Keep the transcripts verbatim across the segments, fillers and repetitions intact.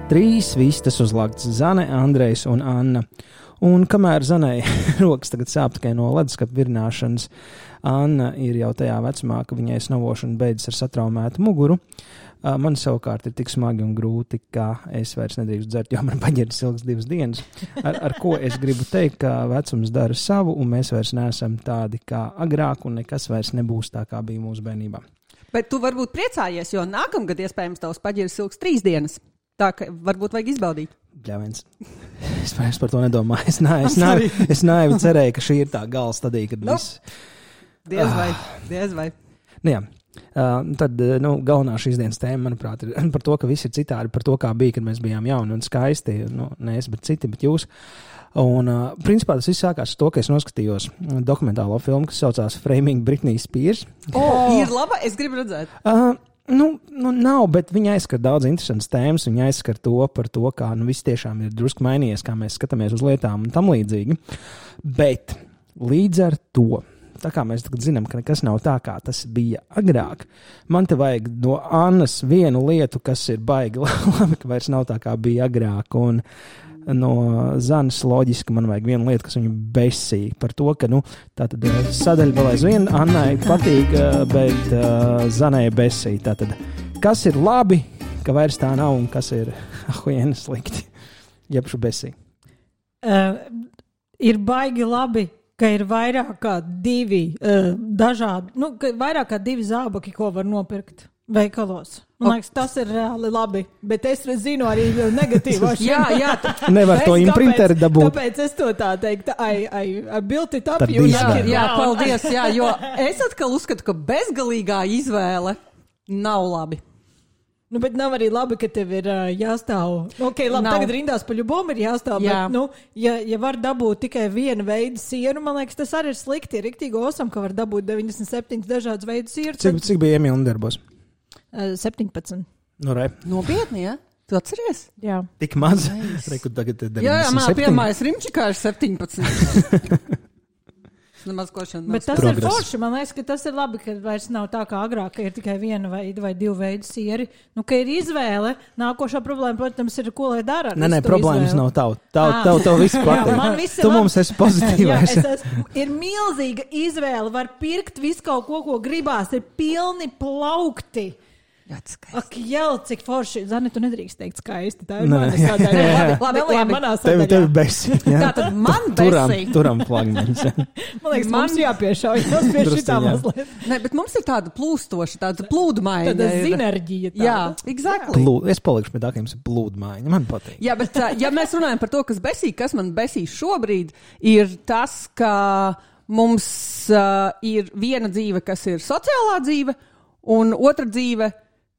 Trīs vistas uzlāktas Zane, Andrejs un Anna. Un kamēr Zanei rokas tagad sāp tikai no leduskapa virināšanas, Anna ir jau tajā vecumā, ka viņai snavošana beidzas ar satraumētu muguru. Man savukārt ir tik smagi un grūti, ka es vairs nedrīkstu dzert, jo man paģeris ilgs divas dienas. Ar, ar ko es gribu teikt, ka vecums dara savu, un mēs vairs neesam tādi kā agrāk, un nekas vairs nebūs tā, kā bija mūsu bērnībā. Bet tu varbūt priecājies, jo nākamgad iespējams tavs paģeris ilgs trīs dienas. Tā ka varbūt vajag izbaudīt. Bļāviens. Es vairs par to nedomāju. Es, nā, es, nā, es naivi cerēju, ka šī ir tā gala stadija, kad nu, viss... Diez vai, diez vai. Nu jā. Uh, tad nu, galvenā šīs dienas tēma, manuprāt, ir par to, ka viss ir citādi, par to, kā bija, kad mēs bijām jauni un skaisti. Nu, ne es, bet citi, bet jūs. Un, uh, principā, tas viss sākās ar to, ka es noskatījos dokumentālo filmu, kas saucās Framing Britney Spears. O, oh, ir laba, es gribu redzēt. Uh, nu, nu, nav, bet viņa aizskar daudz interesantas tēmas, viņa aizskar to par to, kā nu, viss tiešām ir drusku mainījies, kā mēs skatāmies uz lietām un tam līdzīgi. Bet līdz ar to... Tā kā mēs tagad zinām, ka nekas nav tā, kā tas bija agrāk. Man te vajag no Annas vienu lietu, kas ir baigi labi, ka vairs nav tā, kā bija agrāk. Un no Zanes loģiski man vajag vienu lietu, kas viņu besīja. Par to, ka nu, tātad sadaļa vēl aizvien Annai patīk, bet uh, Zanai besīja. Tātad, kas ir labi, ka vairs tā nav, un kas ir ahuiena slikti? Jebšu besīja. Uh, ir baigi labi, ka ir vairāk kā divi uh, dažādi, nu, ka vairāk kā divi zābaki, ko var nopirkt veikalos. Man liekas, tas ir reāli labi, bet es zinu arī negatīvos. jā, jā. Nevar to imprinteri dabūt. Tāpēc es to tā teiktu, I, I, I built it up. Jā, jā, paldies, jā, jo es atkal uzskatu, ka bezgalīgā izvēle nav labi. Nu, bet nav arī labi, ka tev ir uh, jāstāv. Nu, ok, labi, nav. Tagad rindās pa ļubom ir jāstāv, jā. Bet, nu, ja, ja var dabūt tikai vienu veidu sieru, man liekas, tas arī ir slikti. Ir riktīgi osam, ka var dabūt deviņdesmit septiņas dažādas veidu sieru. Cik, cik bija Emīla darbos? Uh, septiņpadsmit. Nu, re. Nopietni, jā? Tu atceries? Jā. Tik maz? Reiku tagad deviņdesmit septiņi. Jā, jā, man pirmais rimčikā ir septiņpadsmit. Nemaz košana. Bet tas progress. Ir forši. Man liekas, ka tas ir labi, ka vairs nav tā kā agrāk, ka ir tikai viena veida vai divu veidu sieri. Nu, ka ir izvēle. Nākošā problēma, protams, ir, ko lai dara. Nē, nē, problēmas izvēle. Nav tavu. Tavu, tavu, tavu visu patīk. Tu man... mums esi pozitīvais. Jā, es esmu, ir milzīga izvēle. Var pirkt visu kaut ko, ko gribās. Ir pilni plaukti. Ak, jau, cik forši. Zane, tu nedrīkst teikt skaisti. Tā ir mana sadaļa. Labi, labi, labi. Manā sadaļā. Tevi, tevi besi. Tā tad man turam, besi. Turam plagmeņus. Man liekas, man... mums jāpiešauj. Tas pie šitā mazliet. Nē, bet mums ir tāda plūstoša, tāda plūdmaiņa. Tāda zinerģija. Tāda. Jā, exactly. Plūd, es palikšu pie tā, ka jums ir plūdmaiņa. Man patīk. Jā, bet ja mēs runājam par to, kas besī, kas man besī šobrīd, ir tas, ka mums uh, ir viena dzīve, kas ir sociālā dzīve, un otra dzīve,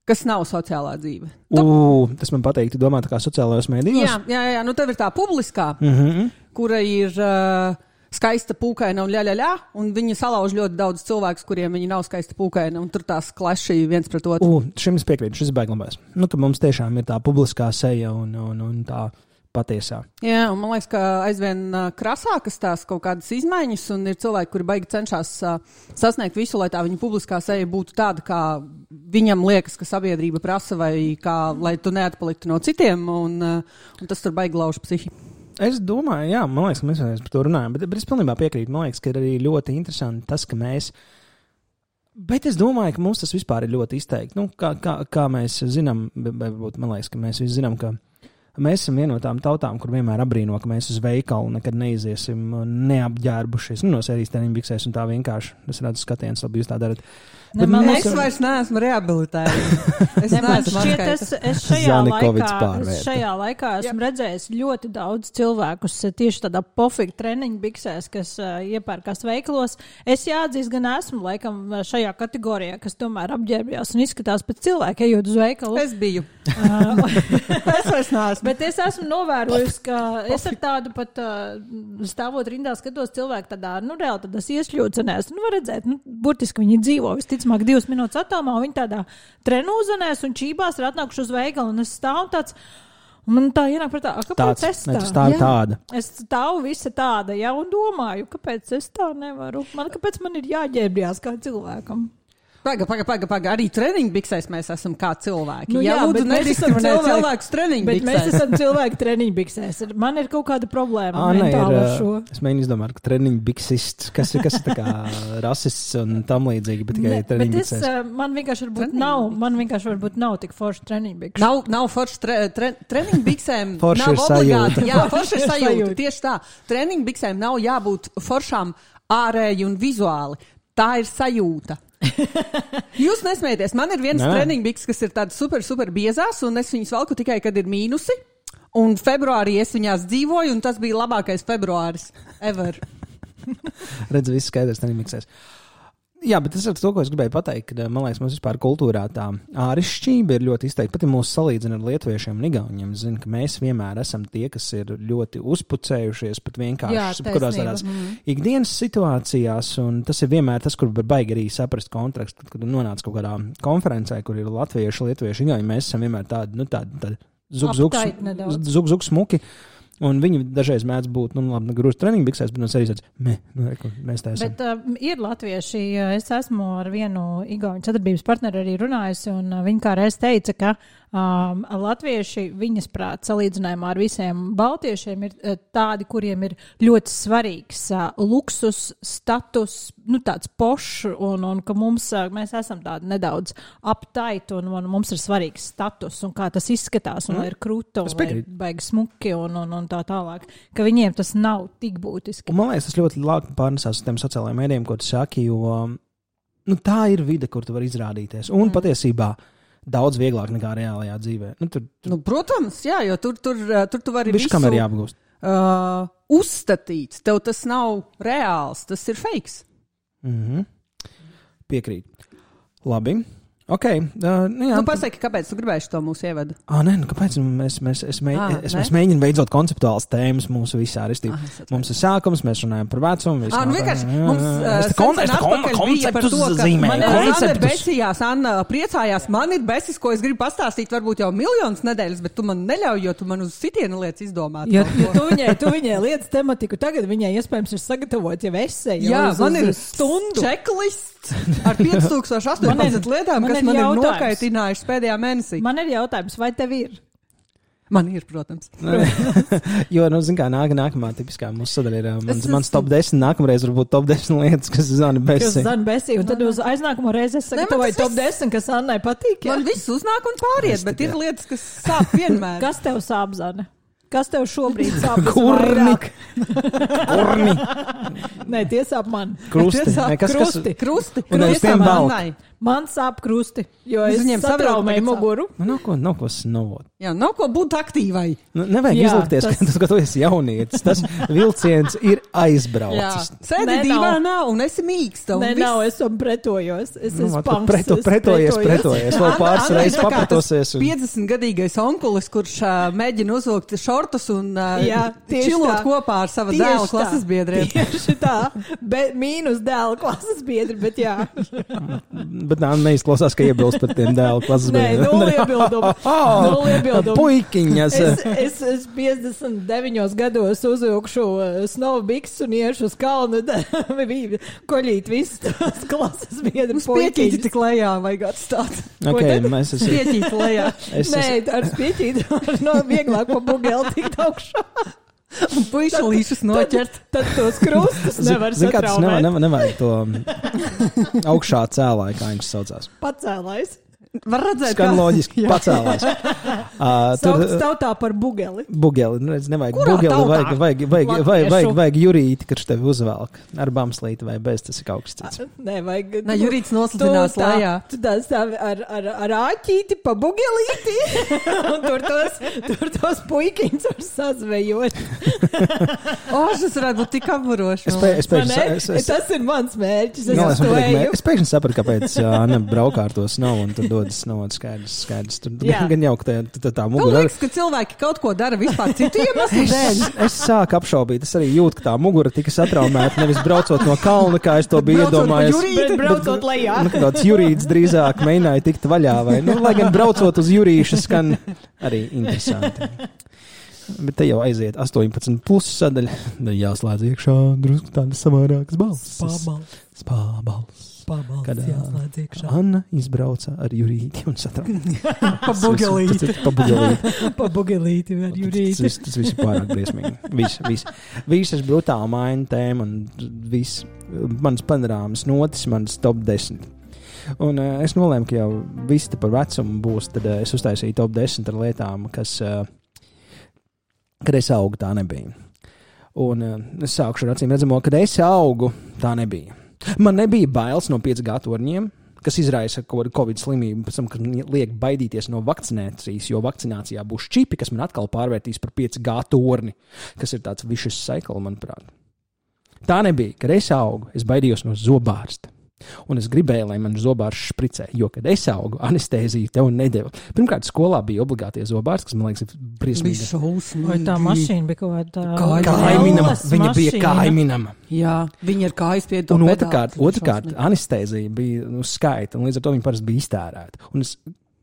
kas nav sociālā dzīve. U, tas man patīk, tu domā tā kā sociālajos mēdījos? Jā, jā, jā, nu tev ir tā publiskā, mm-hmm. kura ir uh, skaista pūkaina un ļaļaļā, un viņi salauž ļoti daudz cilvēkus, kuriem viņi nav skaista pūkaina, un tur tās klaši viens pret otru. U, šim es piekrītu, šis baiglabās. Nu, ka mums tiešām ir tā publiskā seja un, un, un tā patiesā. Jā, un man liekas, ka aizvien uh, krasākas tās kaut kādas izmaiņas, un ir cilvēki, kuri baigi cenšas uh, sasniegt visu, lai tā viņa publiskā seja būtu tāda, kā viņam liekas, ka sabiedrība prasa, vai kā, lai tu neatpaliktu no citiem, un, uh, un tas tur baigi lauž psihi. Es domāju, jā, man liekas, ka mēs par to runājam, bet, bet es pilnībā piekrītu. Man liekas, ka ir arī ļoti interesanti tas, ka mēs... Bet es domāju, ka mums tas vispār ir ļoti izteikti. Nu, kā, kā, kā mēs zinām, varbūt man liekas, ka mēs visi zinām, ka mēs esam viena no tām tautām, kur vienmēr abrīno, ka mēs uz veikalu nekad neiziesim neapģērbušies. Nu, no sērijas treniņbiksēs un tā vienkārši. Es redzu skatiens, labi, jūs tā darat. Ne, man es esam... vairs neesmu rehabilitējusi. Es ne, neesmu šķiet, es, es šajā laikā, es šajā laikā esmu Jā. redzējis ļoti daudz cilvēkus tieši tādā pofīgi treniņbiksēs, kas uh, iepērkās veikalos. Es jāatzīst, gan esmu laikam šajā kategorijā, kas tomēr apģērbjās un izskatās pēc cilvēka, ejot uz veikalu. Es biju. Es vairs neesmu. Bet es esmu novērojusi, ka es ar tādu pat uh, stāvot rindā skatos cilvēku tādā, nu, reāli tādās iešļūcenēs. Nu, var redzēt, nu, burtiski viņi dzīvo visticamāk divas minūtes attālumā, un viņi tādā trenūzenēs un čībās ir atnākuši uz veikalu, un es stāvu tāds, un man tā ienāk prātā, kāpēc tāds, es tā? Ne, tu stāvi tāda. Es stāvu visa tāda, jā, un domāju, kāpēc es tā nevaru. Man, kāpēc man ir jāģērbjās kā cilvēkam? Paga, paga, paga, paga. Arī treniņu biksēs mēs esam kā cilvēki. Nu, jā, jā, lūdzu, bet mēs esam nediskriminēt cilvēki- cilvēkus treniņu Bet biksēs. mēs esam cilvēki treniņu biksēs. Man ir kaut kāda problēma Ā, nē, mentāli ir, ar šo. es mēģinu izdomāt, ka treniņu biksists, kas ir, kas ir tā kā rasists un tam līdzīgi, bet tikai Ne, treniņu bet es, biksēs. uh, man vienkārši varbūt Treniņu nav, man vienkārši varbūt nav tik forši treniņu bikšu. Nav, nav forši tre, tre, treniņu biksēm. Forši nav ir sajūta. obligāti. Jā, forši ir Ir sajūta. sajūta. Tieši tā. Treniņu biksēm nav jābūt foršām ārēji un vizuāli. Tā ir sajūta. Jūs nesmieties. Man ir viens Nē. treniņu biks, kas ir tāds super, super biezās, un es viņus valku tikai, kad ir mīnusi. Un februārī es viņās dzīvoju, un tas bija labākais februāris ever. Redz, viss skaidrs, treniņu biksēs. Jā, bet tas ir to, ko es gribēju pateikt, ka, man liekas, mums vispār kultūrā tā ārišķība ir ļoti izteikta. Pat ja mūs salīdzina ar lietuviešiem un igauņiem, es zinu, ka mēs vienmēr esam tie, kas ir ļoti uzpucējušies, pat vienkārši Jā, kurās taisnība. tādās ikdienas situācijās, un tas ir vienmēr tas, kur var baigi arī saprast kontekstu, kad, kad nonāc kaut kādā konferencē, kur ir latvieši, lietuvieši, igauņi, mēs esam vienmēr tādi, nu, tādi, tādi zug, zug, Uptight nedaudz. zug, zug, smuki. Un viņi dažreiz mēdz būt, nu, labi, grūti treniņu biksēs, bet no sevis tāds, me, nu, reku, mēs tā esam. Bet uh, ir latvieši, uh, es esmu ar vienu igauņu sadarbības partneri arī runājusi, un uh, viņi kā reiz teica, ka um, latvieši, viņas prāt, salīdzinājumā ar visiem baltiešiem, ir uh, tādi, kuriem ir ļoti svarīgs uh, luksus, status, nu tāds pošs, un, un ka mums, uh, mēs esam tādi nedaudz uptight, un, un mums ir svarīgs status, un kā tas izskatās, un mm. ir krūta, un Es lai ir piekrītu. baigi smuki, un, un, un tā tālāk, ka viņiem tas nav tik būtiski. Un man liekas, tas ļoti labi pārnesās uz tiem sociālajiem mēdījiem, ko tu saki, jo nu, tā ir vide, kur tu vari izrādīties. Un mm. patiesībā daudz vieglāk nekā reālajā dzīvē. Nu, tur tur Nu, protams, jā, jo tur, tur, tur tu vari viss, kam ir jāapgūst. uh, uzstatīt. Tev tas nav reāls, tas ir fakes. Mhm. Piekrīt. Labi. Ok. Uh, nu, jā. Nu, pasaki, kāpēc tu gribēji to mūsu ievadu? Ah, nē, nu kāpēc mēs, mēs, es mēģinu, Ah, es, ne? mēs mēģinām veidot konceptuāls tēmas mūsu visā aristībā. Ah, es atvainojos. Mums ir sākums, mēs runājam par vecumu. Ah, nu vienkārši mums uh, Es te kon- es te kon- konceptus zīmēju, man ir Anna konceptus. becījās, Anna priecājās, man ir besis, ko es gribu pastāstīt varbūt jau miljonus nedēļas, bet tu man neļauj, jo tu man uz sitienu lietas izdomāt. Ja, kaut ja ko. tu viņai, tu viņai lietas tematiku, tagad viņai iespējams ir sagatavot jau esēju. Jā, uz, man uz ir stundu. checklists ar piecas tūkstoš astoņpadsmit lietām, man kas ir man ir jautājums. nokaitinājušas pēdējā mēnesī. Man ir jautājums, vai tev ir? Man ir, protams. Jo, nu, zin kā, nāk, nākamā tipiskā mūsu sadaļa ir uh, mans, Es- mans top desmit, nākamreiz varbūt top desmit lietas, kas zina Jūs besi. zināt, besī, un tad uz aiznākamo reizi es man sagatavoju tas top viss- desmit, kas Annai patīk. Jā? Man viss uznāk un pāriet, bet ir lietas, kas sāp vienmēr. Kas tev sāp, Zane? Kas tev šobrīd sāp? Kurni. visvairāk? Kurni. Nē, tie sāp man. Krusti. Tie sāp Nē, kas, kas, krusti. Krusti, Un aiz krusti tiem man velk. Annai. Man sāp krusti, jo Es es viņiem saprotu, satraumēju tagad sāp. muguru. nu, nav ko, nav ko snovot. Jā, nav ko būt aktīvai. Nu, nevajag Jā, izlikties, tas- ka, tas, ka tu esi jaunietis. Tas vilciens ir Jā, aizbraucis. sēdi Nē, nav. divānā un esi mīksta. un Nē, viss. nav, es tam pretojos. Es Nu, esmu vat, punks, preto, es pretojies, pretojos. pretojies. Vēl Anna- pāris Anna ir reizes tā kā tas papratosies. Un... piecdesmitgadīgais onkulis, kurš uh, mēģina uzvilkt šortus un uh, Jā, tieši čilot tā. kopā ar savu Tieši dēlu tā. klases biedriem. Tieši tā, be, mīnus dēla klases biedri, bet jā. Bet nā, neizklausās, ka iebilst par tiem dēlu klases Nē, bērniem. nulle iebildumu. Nulle iebildumu. Puikiņas. Es, es, es piecdesmit deviņos gados uzvilkšu uh, snowbiks un iešu uz kalnu, koļīt visus tos klases biedru Uz pieķīti puikiņus. tik lejā vajag atstāt. Ok, tad? mēs esam. Pieķīti lejā. Es, Nē, es, ar spieķīti no vieglāk pa bugeli tikt augšā. Un puišalīšus noķert. Tad tos krustus nevar zin, kā tas satraumēt. nevajag, nevajag to um, augšā cēlāju, kā viņš saucās. Pacēlājs. Var redzēt, Skan kā- loģiski, pacēlās. Uh, tur Sauc tautā par bugeli. bugeli, nu, redz, nevajag Kurā bugeli, tautā? vajag, vajag, vajag, vajag, Latviešu. vajag, vajag jurīti, kurš tevi uzvelk ar bamslīti vai bez, tas ir kaut kas cits. Nē, vajag. Nē, Jurīts noslidinās Tu tā- lejā. Tu tā stāvi ar, ar, ar āķīti pa bugelīti, un tur tos, tur tos puikiņus var sazvejot. O, šis varētu būt tik apburoši. Es, pē, es, Vai pēkšņi, ne? es, es, Tas ir mans mērķis. Es Galvenais, uz to man patīk, eju. mē- es pēkšņi sapratu, kāpēc uh, Anna braukā ar to snovu un tur dodas snovu. Skaidrs, skaidrs. Tur Jā. gan jau, ka tā, tā, tā Man mugura. liekas, ka cilvēki kaut ko dara vispār citu iemeslu dēļ. Es sāku apšaubīt, es arī jūtu, ka tā mugura tika satraumēta nevis braucot no kalna, kā es to biju Braucot pa iedomājies. Jurīti. Bet braucot lejā. Nu, ka tāds jurīts drīzāk mēģināja tikt vaļā, vai, nu, lai gan braucot uz jurīša skan arī interesanti. Bet te jau aiziet astoņpadsmit plus sadaļa, tad jāslēdz iekšā drusku tādas savādākas balss. Spābals. Spābals. kad uh, Anna izbrauca ar Jurīti un satrauca. Pa bugelīti. Pa bugelīti. Pa bugelīti ar Jurīti. Tas, tas, tas viss ir pārāk briesmīgi. Viss, viss. Visas brutāli maina tēma un viss. Manas panorāmas notis, manas top desmit. Un uh, es nolēmu, ka jau viss te par vecumu būs, tad uh, es uztaisīju top desmit ar lietām, kas, uh, kad es augu, tā nebija. Un uh, es sākušu ar acīm redzamo, kad es augu, tā nebija. Man nebija bailes no pieci G torņiem, kas izraisa kaut kādu covid slimību, pēc tam, kad liek baidīties no vakcinācijas, jo vakcinācijā būs čipi, kas man atkal pārvērtīs par pieci G torni, kas ir tāds vicious cycle, manuprāt. Tā nebija, kad es augu, es baidījos no zobārsta. Un es gribēju, lai man zobārsts špricē, jo, kad es augu, anestēziju tev nedeva. Pirmkārt, skolā bija obligātie zobārsti, kas, man liekas, ir briesmīgi. Vai tā mašīna bija kaut kāda kaiminama? Viņa bija kaiminama. Jā, viņa ir kājas pie to un pedāli. otrkārt, otrkārt anestēzija bija nu, skaita, un līdz ar to viņa parasti bija iztērēta. Un es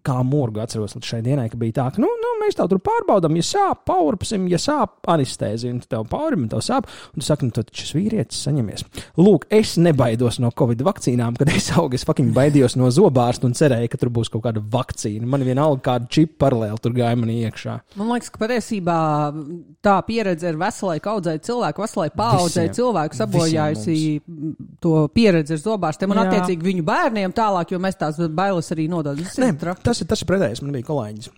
kā morgu atceros līdz šai dienai, ka bija tā, ka, nu, nu mēs tev tur pārbaudām, ja sāp, paurpsim, ja sāp, anestēzija, un tu tev paurim, un tev sāp, un tu saki, nu, tad šis vīrietis saņemies. Lūk, es nebaidos no covid vakcīnām, kad es augu, es fucking baidījos no zobārsta un cerēju, ka tur būs kaut kāda vakcīna. Man vienalga kāda čipa paralēli tur gāja manī iekšā. Man liekas, ka patiesībā tā pieredze ir veselai kaudzei cilvēku, veselai paaudzei cilvēku sabojājusi to pieredzi ar zobārstiem un attiecīgi viņu bērniem tālāk, jo mēs tās bailes arī nododam. Tas ir, tas ir pretējs. Man bija kolēģis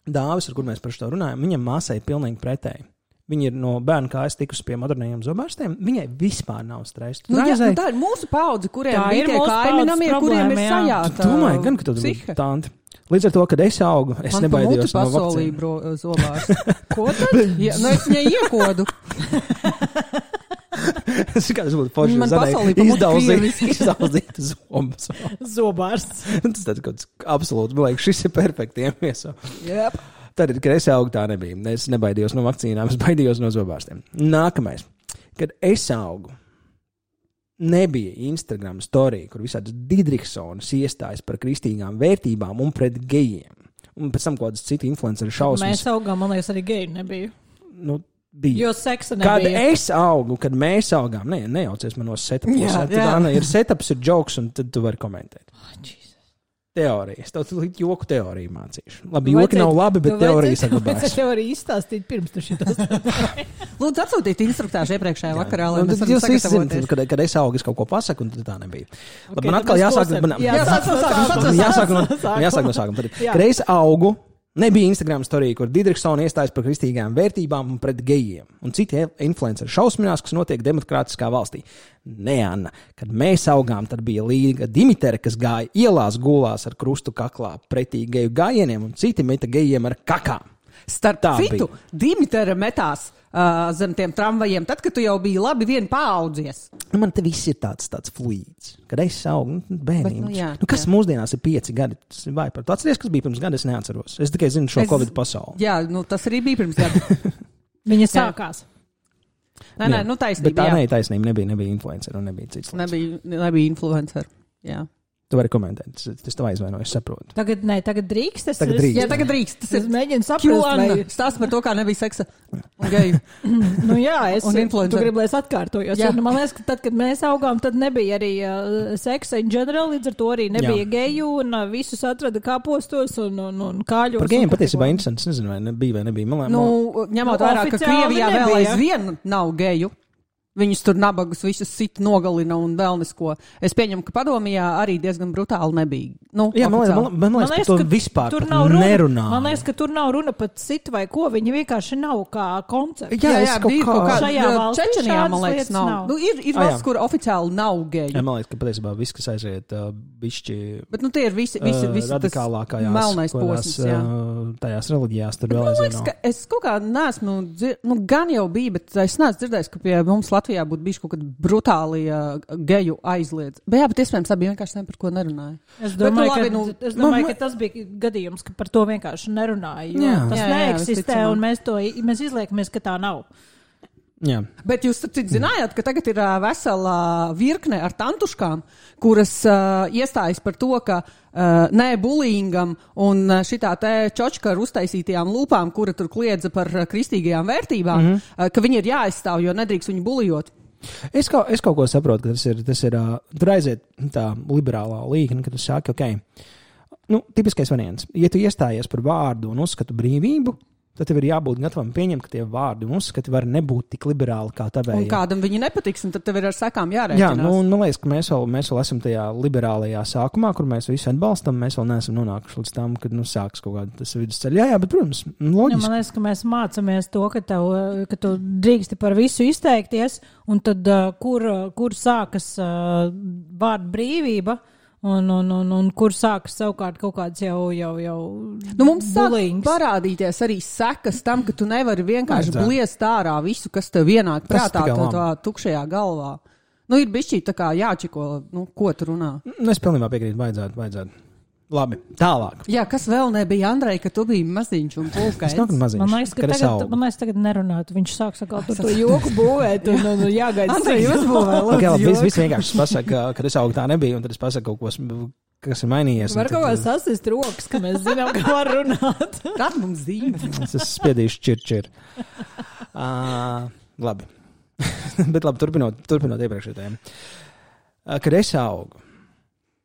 Dāvis, ar kur mēs par šo runājam. Viņam māsai ir pilnīgi pretēji. Viņa ir no bērna kājas tikusi pie modernajiem zobārstiem. Viņai vispār nav stresa. Nu, jā, nu, tā ir mūsu paudze, kuriem tā bija tie kaiminamie, kuriem ir sajāta. Tu domāji, gan, ka tu bija tanti. Līdz ar to, kad es augu, es man nebaidījos no vakcīnu. Man pamuti zobārsti. Ko tad? Ja, nu, es viņai iekodu. Es kā tas būtu forši, izdaudzīt zobus. Zobārsts. Tas tāds kaut absolūti, man liekas, šis ir perfekti iemieso. Yep. Tad, kad es augu, tā nebija. Es nebaidījos no vakcīnām, es baidījos no zobārstiem. Nākamais. Kad es augu, nebija Instagram story, kur visādas Didriksonas iestājas par kristīgām vērtībām un pret gejiem. Un pēc tam kaut kādas citi influenceri šausmas. Mēs augām, man liekas, arī geju nebija. Nu, bija. Jo seksa nebija. Kad es augu, kad mēs augām, ne, nejaucies manos setupos. Tad, Anna, ir setups, ir jokes, un tad tu vari komentēt. Oh, teorijas. Tev joku teoriju mācīšu. Labi, joki nav labi, bet teorija saglabājas. Es teoriju izstāstīt pirms tu šitos. Lūdzu, atsūtīt instruktāžu iepriekšējā vakarā, lai mēs varam sagatavoties. Kad, kad es augu, es kaut ko pasaku, un tad tā nebija. Okay, labi, man atkal jāsāk. Man, jāsāk no sākuma. Jāsāk no, jāsāk no sākuma. Kad es augu, nebija Instagram storija, kur Didriksona iestājas par kristīgām vērtībām un pret gejiem. Un citi influenceri šausminās, kas notiek demokrātiskā valstī. Nē, Anna, kad mēs augām, tad bija Līga Dimitere, kas gāja ielās gulās ar krustu kaklā pretī geju gājieniem, un citi meta gejiem ar kakām. Starp tā citu, bija. Dimitere metās uh, zem tiem tramvajiem, tad, kad tu jau biji labi vien paaudzies. Nu, man te viss ir tāds, tāds fluīds. Kad es augu, nu, bērnības. Nu, jā, nu, kas jā. Mūsdienās ir pieci gadi? Tas ir vajag par to. Atceries, kas bija pirms gada, es neatceros. Es tikai zinu šo es, Covid pasauli. Jā, nu, tas arī bija pirms gada. Viņa sākās. Nē, nē, nu taisnība. Bet tā jā. ne, taisnība nebija, nebija influencer un nebija cits. Nebija, nebija influencer, jā. Tu vari komentēt, tas, tas tev aizvainoju, es saprotu. Tagad, nē, tagad drīkst. Es, tagad drīkst. Jā, tagad drīkst. Tas es mēģinu saprast, vai... Stāst par to, kā nebija seksa un geju. Nu jā, es, un influencer. Tu gribi, lai es atkārtojos. Jo, nu, man liekas, ka tad, kad mēs augām, tad nebija arī uh, seksa in general, līdz ar to arī nebija jā. Geju, un uh, visus atrada kāpostos un, un, un kāļos. Par gejiem patiesībā interesants, nezinu, vai nebija vai nebija. Man, nu, ņemot nu, vērā, ka Krievijā vēl aizvien nav geju. Viņus tur nabagus visus sit nogalina un vēl nesko. Es pieņemu, ka Padomijā arī diezgan brutāli nebija. Nu, jā, man liekas, man, man liekas, ka to vispār tur nav runa, nerunā. Man liekas, ka tur nav runa pat sit vai ko. Viņi vienkārši nav kā koncepts. Jā, jā, bija kaut kā. Šajā valstī Čečenijā, man liekas, nav. nav. Nu, ir ir valsts, kur oficiāli nav geju. Jā, man liekas, ka patiesībā viss, kas aiziet uh, bišķi Bet nu tie ir visi, visi, visi uh, radikālākajās, melnais posms, jā. Uh, tajās reliģijās tur vēl aizvien nav. Es kaut kā neesmu, dzir... nu gan jau bija, bet es neesmu dzirdējis, ka pie mums Latvijā būtu bijuši kaut kādi brutāli uh, geju aizliedz. Bet jā, bet iespējams tā bija vienkārši ne par ko nerunāja. Es domāju, bet, nu, labi, ka, nu, es domāju nu, ka tas bija gadījums, ka par to vienkārši nerunāja. Jo jā. Tas jā, jā, neeksistē un mēs, to, mēs izliekamies, ka tā nav. Jā. Bet jūs zinājāt, ka tagad ir uh, vesela virkne ar tantuškām, kuras uh, iestājas par to, ka uh, nē bullyingam un uh, šitā te čočka ar uztaisītajām lūpām, kura tur kliedza par uh, kristīgajām vērtībām, mm-hmm. uh, ka viņi ir jāaizstāv, jo nedrīkst viņu bulijot. Es kaut, es kaut ko saprotu, ka tas ir, tas ir uh, tur aiziet tā liberālā līkne, ka tu saki, ok, nu, tipiskais variants. Ja tu iestājies par vārdu un uzskatu brīvību, tad tev ir jābūt gatavam pieņemt, ka tie vārdi un uzskati var nebūt tik liberāli kā tavējie. Un kādam viņi nepatiks, un tad tev ir ar sekām jārēķinās. Jā, nu, man liekas, ka mēs vēl, mēs vēl esam tajā liberālajā sākumā, kur mēs visu atbalstam, mēs vēl neesam nonākuši līdz tam, kad, nu, sāks kaut kāda tas vidusceļa. Jā, jā, bet, protams, loģiski. Ja, man liekas, ka mēs mācamies to, ka, tev, ka tu drīksti par visu izteikties, un tad, uh, kur, kur sākas uh, vārdu brīvība, Un, un, un, un kur sākas savukārt kaut kāds jau, jau, jau nu, mums sāk bulings. Parādīties arī sekas tam, ka tu nevari vienkārši bliest ārā visu, kas tev vienāk prātā tā, tā tukšajā galvā. Nu, ir bišķī tā kā jāčiko, nu, ko tu runā. Nu, es pilnībā piekrītu, vajadzētu, vajadzētu. Labi, tālāk. Jā, kas vēl nebija, Andrej, ka tu biji maziņš un pulkains? Es nav maziņš, man liekas, ka tagad, man liekas, tagad nerunātu. Viņš sāk sakāt par to joku būvēt un, un, un jāgaida. Andrej, uzbūvē, lūdzu, okay, labi, viss vienkārši pasaka, ka es augu tā nebija, un tad es pasaku kaut ko, kas ir mainījies. Var kaut kā sasist rokas, ka mēs zinām, kā var runāt. Tad mums zīme. Es esmu spiedījuši čir, čir. Uh, labi. Bet labi, turpinot, turpinot iepriekšējo tēmu. Uh, kad es augu,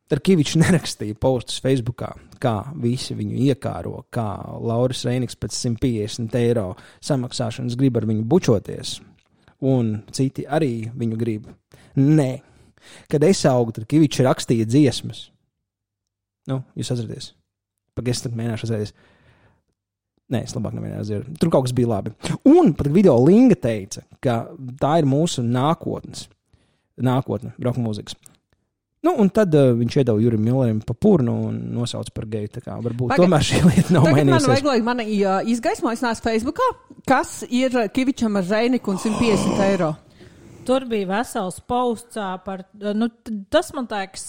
Tarkivičs nerakstīja postus Facebookā, kā visi viņu iekāro, kā Lauris Reiniks pēc simt piecdesmit eiro samaksāšanas grib ar viņu bučoties, un citi arī viņu grib. Nē. Kad es augu, Tarkivičs rakstīja dziesmas. Nu, jūs atceraties? Pagaid, es tad mēģināšu atcerēties. Nē, es labāk nemēģināšu atcerēties. Tur kaut kas bija labi. Un pat video Linga teica, ka tā ir mūsu nākotnes. Nākotne, roka mūzikas. Nu, un tad uh, viņš iedeva Jurim Millerim pa purnu un nosauca par geju. Tā kā varbūt Paga, tomēr šī lieta nav mainījusies. Tagad man vajag, lai mani uh, izgaismojas Facebookā, kas ir Kivičam ar Reiniku un simt piecdesmit eiro. Tur bija vesels posts par, nu, tas man liekas,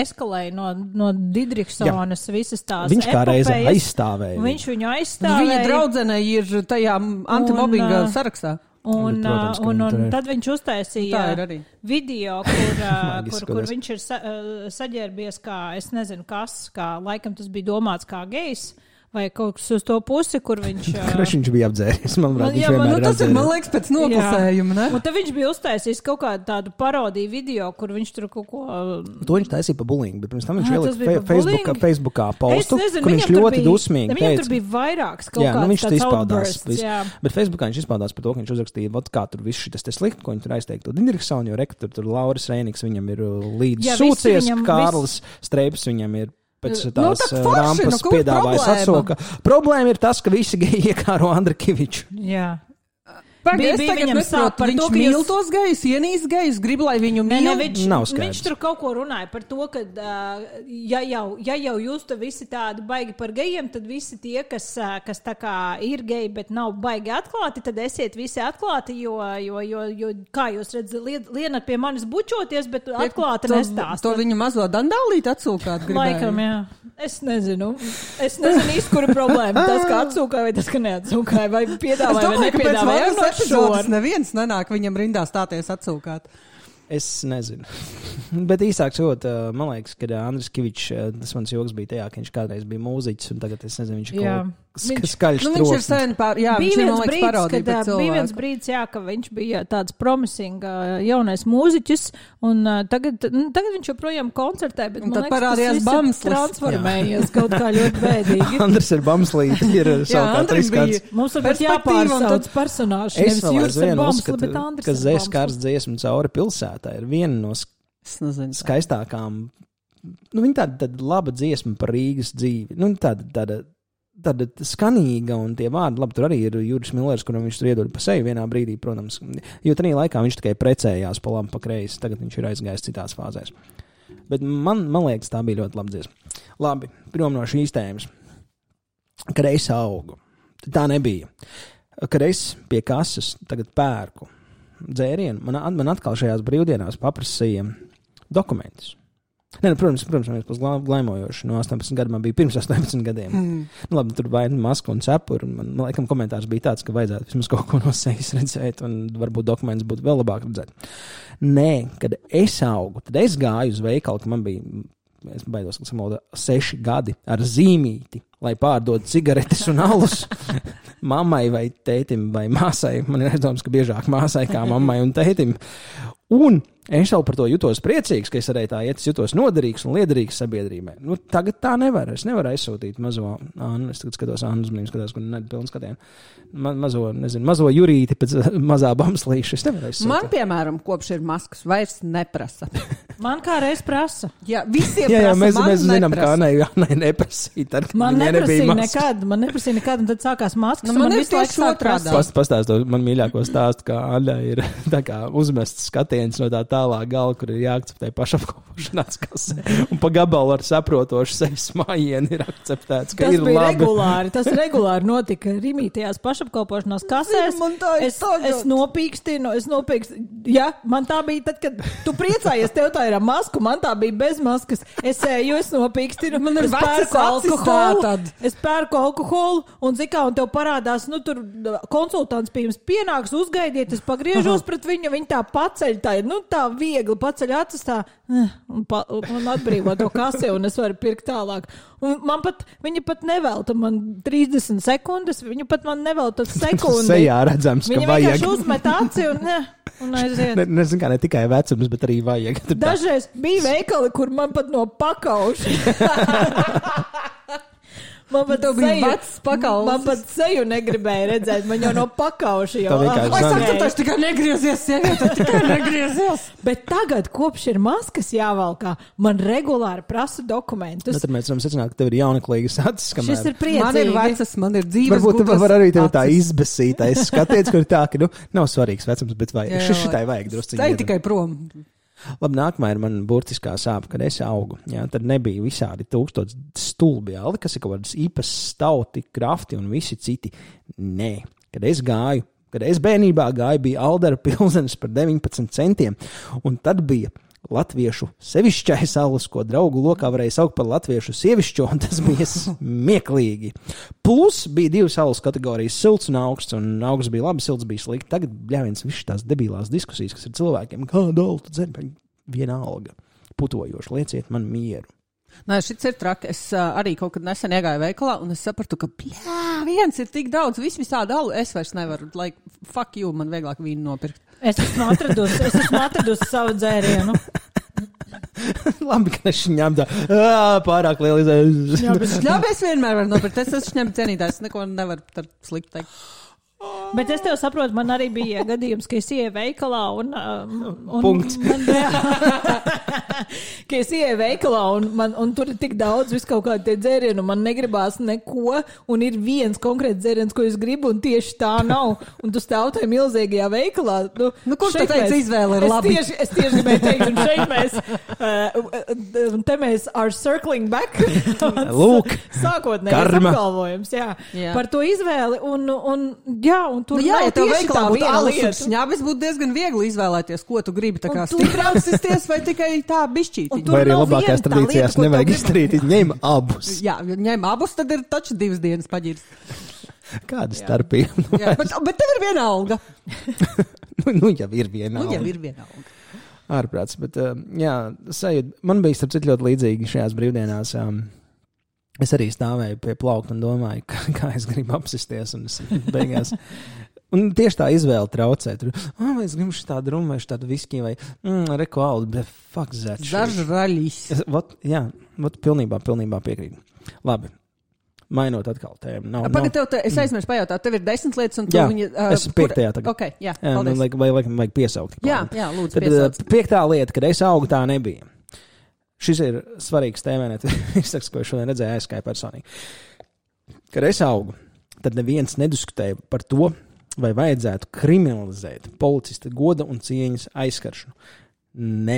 eskalēja no, no Didrikssonas visas tās viņš kā reize aizstāvēja. Viņš viņu aizstāvēja. Viņa draudzene ir tajā antimobbinga un, sarakstā. Un, Protams, un, un, un tad viņš uztaisīja video, kur, kur, kur viņš ir sa, saģērbies kā, es nezinu kas, kā laikam tas bija domāts kā gejs. Vai kaut kas uz to pusi, kur viņš... Kurš viņš bija apdzēris, manuprāt, viņš jā, vienmēr nu, ir tas apdzēris. Ir, man liekas, pēc noklusējuma, ne? Un tad viņš bija uztaisījis kaut kādu tādu parodiju video, kur viņš tur kaut ko... To viņš taisīja pa bullying, bet pirms tam viņš ah, ielika Facebookā, Facebookā postu, nezinu, kur viņš ļoti bija, dusmīgi teica. Viņam tur bija vairāks kaut jā, kāds nu, viņš tāds izpaudās, outbursts. Bet Facebookā viņš izpaudās par to, ka viņš uzrakstīja, vat kā tur viss šitas te slikti, ko viņi tur aizteiktu. Didriksonu, jo reka tur, tur Lauris Reiniks, viņam ir līdz sūcies, Kārlis Streips viņam ir pēc tās nu, rampas nu, piedāvājas atsoka. Problēma ir tas, ka visi geji iekāro Andrikiviču. Jā. Pag, bija, bija viņam sāp par viņš to, ka mīl jūs... tos gejus, ienīs gejus, grib, lai viņu mīl. Ne, ne, viņš, nav skaidrs. Viņš tur kaut ko runāja par to, ka uh, ja, jau, ja jau jūs te visi tādi baigi par gejiem, tad visi tie, kas, uh, kas tā kā ir geji, bet nav baigi atklāti, tad esiet visi atklāti, jo, jo, jo, jo kā jūs redzat, lienat pie manis bučoties, bet atklāti to, nestāstat. To viņu mazo dandālīt atsūkāt gribēja. Laikam, jā. Es nezinu. Es nezinu īsti, kura problēma. Tas, ka atsūkāja vai tas, ka neatsūkāja, vai piedāvāja vai nepiedāvāja. Epizodes neviens nenāk viņam rindā stāties atsūkāt. Es nezinu. Bet īsāk sakot, man liekas, ka Andris Kivičs, tas mans joks bija tajā, ka viņš kādreiz bija mūziķis, un tagad es nezinu, viņš ir kaut kas skaļš nu, viņš ir sen pār, jā, bija viņš ir, viens man liekas, parodīja brīdis, kad, bija viens brīdis, jā, ka viņš bija tāds promising jaunais mūziķis, un uh, tagad, nu, tagad viņš joprojām koncertē, bet man liekas, tas viss ir transformējies kaut kā ļoti bēdīgi. Andris ir bamslīti, ir savukārt riskāts. Mums varbūt jāpārsauc personāžs, nevis Jūras ir bamsli, bet Andris ir bamsli. Ka Zēs kārs dziesmu cauri pilsētā ir viena no skaistākām, nu, viņa tāda, tāda laba dziesma par Rīgas dzīvi, nu, tāda, tāda, tāda skanīga, un tie vārdi, labi, tur arī ir Juris Millers, kuram viņš tur iedod pa seju vienā brīdī, protams, jo tajā laikā viņš tikai precējās pa labi, pa kreisi, tagad viņš ir aizgājis citās fāzēs. Bet man, man liekas, tā bija ļoti laba dziesma. Labi, prom no šīs tēmas. Kad es augu, tā nebija. Kad es pie kases tagad pērku dzērienu, man, man atkal šajās brīvdienās paprasīja dokumentus. Ne, nu, protams, protams, mēs pēc glaimojoši. No astoņpadsmit gadu man bija pirms astoņpadsmit gadiem. Mm. Nu, labi, tur vai maska un cepuri. Man, man laikam, komentārs bija tāds, ka vajadzētu vismaz kaut ko no sejas redzēt, un varbūt dokuments būtu vēl labāk redzēt. Nē, kad es augu, tad es gāju uz veikalu, ka man bija, es baidos, ka samalda seši gadi ar zīmīti, lai pārdod cigaretes un alus. mammai vai tētim vai māsai. Man ir aizdoms, ka biežāk māsai kā mammai un tētim. Un es jau par to jutos priecīgs, ka es arī tā iet, es jutos noderīgs un liederīgs sabiedrībai. Nu, tagad tā nevar. Es nevaru aizsūtīt mazo Annu. Es tagad skatos Annu uzmanību, skatās, kur nedod pilnu skatienu. Ma, mazo, nezinu, mazo Jurīti pēc mazā bamslīša. Es nevaru aizsūtīt. Man, piemēram, kopš ir maskas, vairs neprasa. Man kā reiz prasa. Jā, visiem jā, jā, prasa, mēs, man mēs zinām, neprasa. kā Annai, Annai neprasīja. Tad, Man neprasīja nekad, man neprasīja nekad, un tad sākās maskas. Nu, man man ir visu laiku tieši sāk otrādi. prasīt. Past, pastāstu man mīļāko stāstu, kā Anna ir tā kā uzmests skatiens no tā tālā gala, kur ir jāakceptē pašapkalpošanās kasē. Un pa gabalu ar saprotošu sevis mājienu ir akceptēts, ka Tas ir bija labi. regulāri, tas regulāri notika Rimītajās pašapkalpošanās kasēs. Man tā ir Es, tagad. es nopīkstinu, es nopīkstinu. Jā, man tā bija tad, kad tu priecājies, tev tā ir ar masku, man tā bija bez maskas. Es eju, es nopīkstinu, Man ir es vecas pērku acis alkoholu, tātad. es pērku alkoholu, un zikā, un tev parādās, nu, tur konsultants pie jums pienāks, uzgaidiet, es pagriežos pret viņu, viņa tā paceļ, tā ir, nu, tā viegli paceļ acis tā, un, pa, un atbrīvo to kasi, un es varu pirkt tālāk. Un man pat, viņa pat nevelta man trīsdesmit sekundes, viņa pat man nevelta sekundi. Sejā redzams, ka Viņa vajag. vienkārši uzmet aci un, ne, un aiziet. Ne, nezinu, kā ne tikai vecums, bet arī vajag. Tur tā- Dažreiz bija veikali, kur man pat no pakauša. Man pat Tev bija seju- vecs pakaušs. Man pat seju negribēja redzēt, man jau no pakauša jau. Tā vienkārši Vai zem. saka, tu taču tikai negriezies, sieviete, tikai negriezies. Bet tagad, kopš ir maskas jāvalkā, man regulāri prasa dokumentus. Nu, tad mēs varam secināt, ka tev ir jauneklīgas acis. Šis Kamēr... ir priecīgi. Man ir vecas, man ir dzīves Varbūt tu gudras var arī tev tā acis. izbesītais skatiens, kur ir tā, ka, nu, nav svarīgs vecums, bet vai Jā, šis šitai vajag drusciņi. Ej iedot. tikai prom. Labi, nākamā ir man burtiskā sāpe, kad es augu. Jā, tad nebija visādi tūkstoši stulbi aldi, kas ir kaut kādas īpas stauti, krafti un visi citi. Nē, kad es gāju, kad es bērnībā gāju, bija Aldera pilzenis par deviņpadsmit centiem, un tad bija latviešu sevišķais alus, ko draugu lokā varēja saukt par latviešu sievišķo, un tas bija smieklīgi. Plus bija divas alus kategorijas, silts un augsts, un augsts bija labi, silts bija slikti. Tagad bļāviens viss tās debilās diskusijas, kas ir cilvēkiem, kāda alu tu dzer, viena alga, putojoši, lieciet man mieru. Nē, šis ir traki. Es uh, arī kaut kad nesen iegāju veikalā, un es sapratu, ka, bļā, viens ir tik daudz, viss visādi alu, es vairs nevaru, like, fuck you, man vieglāk vīnu nopirkt. Es esmu atradusi, es esmu atradusi savu dzērienu. Labi, ka es šņām tā, ā, pārāk liela izējas. Jā, bet es vienmēr varu nopirkt. Es esmu šņem cienītājs, neko nevaru par sliktu teikt. Bet es tev saprotu, man arī bija gadījums, ka es ieju veikalā un... um, un Punkts. Man, ka es ieju veikalā un, man, un tur ir tik daudz visu kaut kādi tie dzērieni, un man negribās neko, un ir viens konkrēts dzēriens, ko es gribu, un tieši tā nav. Un tu stāv tajā milzīgajā veikalā. Nu, Nu, kurš šeit te teica, mēs- izvēle ir es labi? Tieši, es tieši gribēju teikt, un šeit mēs, uh, un te mēs are circling back. Lūk, Sākotnējais karma. apgalvojums, jā, Jā. par to izvēli, un, un jā, un tur Nu, jā, nav ja tev tieši veikalā tā būtu viena alus un lieta. šņabis, būtu diezgan viegli izvēlēties, ko tu gribi. Tā kā Un tu- stiprāksisties vai tikai tā bišķīti. Un tur vai arī nav labākās viena tā tradīcijās lieta, ko nevajag tev grib- izdarīt, ņem abus. Jā, ja ņem abus, tad ir taču divas dienas paģirs. Kāda starpība? Jā, bet, bet tev ir viena alga. nu, nu, jau ir viena. Nu, jau alga. ir viena alga. Ārprāts, bet uh, jā, sajūt, man bija starp citu ļoti līdzīgi šajās brīvdienās. Um, es arī stāvēju pie plaukta un domāju, kā, kā es gribu apsisties, un es beigās. Un tieši tā izvēle traucē. Tur, ah, vai es gribu šī tādu rumu, vai šī tādu viskiju, vai mm, reko aldu, bet fuck that. shit. Zažraļis. Es- Vot, jā, vot pilnībā, pilnībā piekrītu. Labi, mainot atkal tēmu. Nav, nav. Pagad, tev, te, es aizmirsu pajautāt, tev ir desmit lietas, un tu Jā, viņa... uh, es esmu piektajā tagad. Ok, jā, Jā, man paldies. vajag, vai, vai, vajag piesaukt. Jā, jā, lūdzu, Tad piesauc. uh, piektā lieta, kad es augu, tā nebija. Šis ir svarīgs tēmēnet. Es saku, ko es šodien redzēju aizskāju personīgi. Kad es augu, tad neviens nediskutēja par to, vai vajadzētu kriminalizēt policista goda un cieņas aizskaršanu. Nē.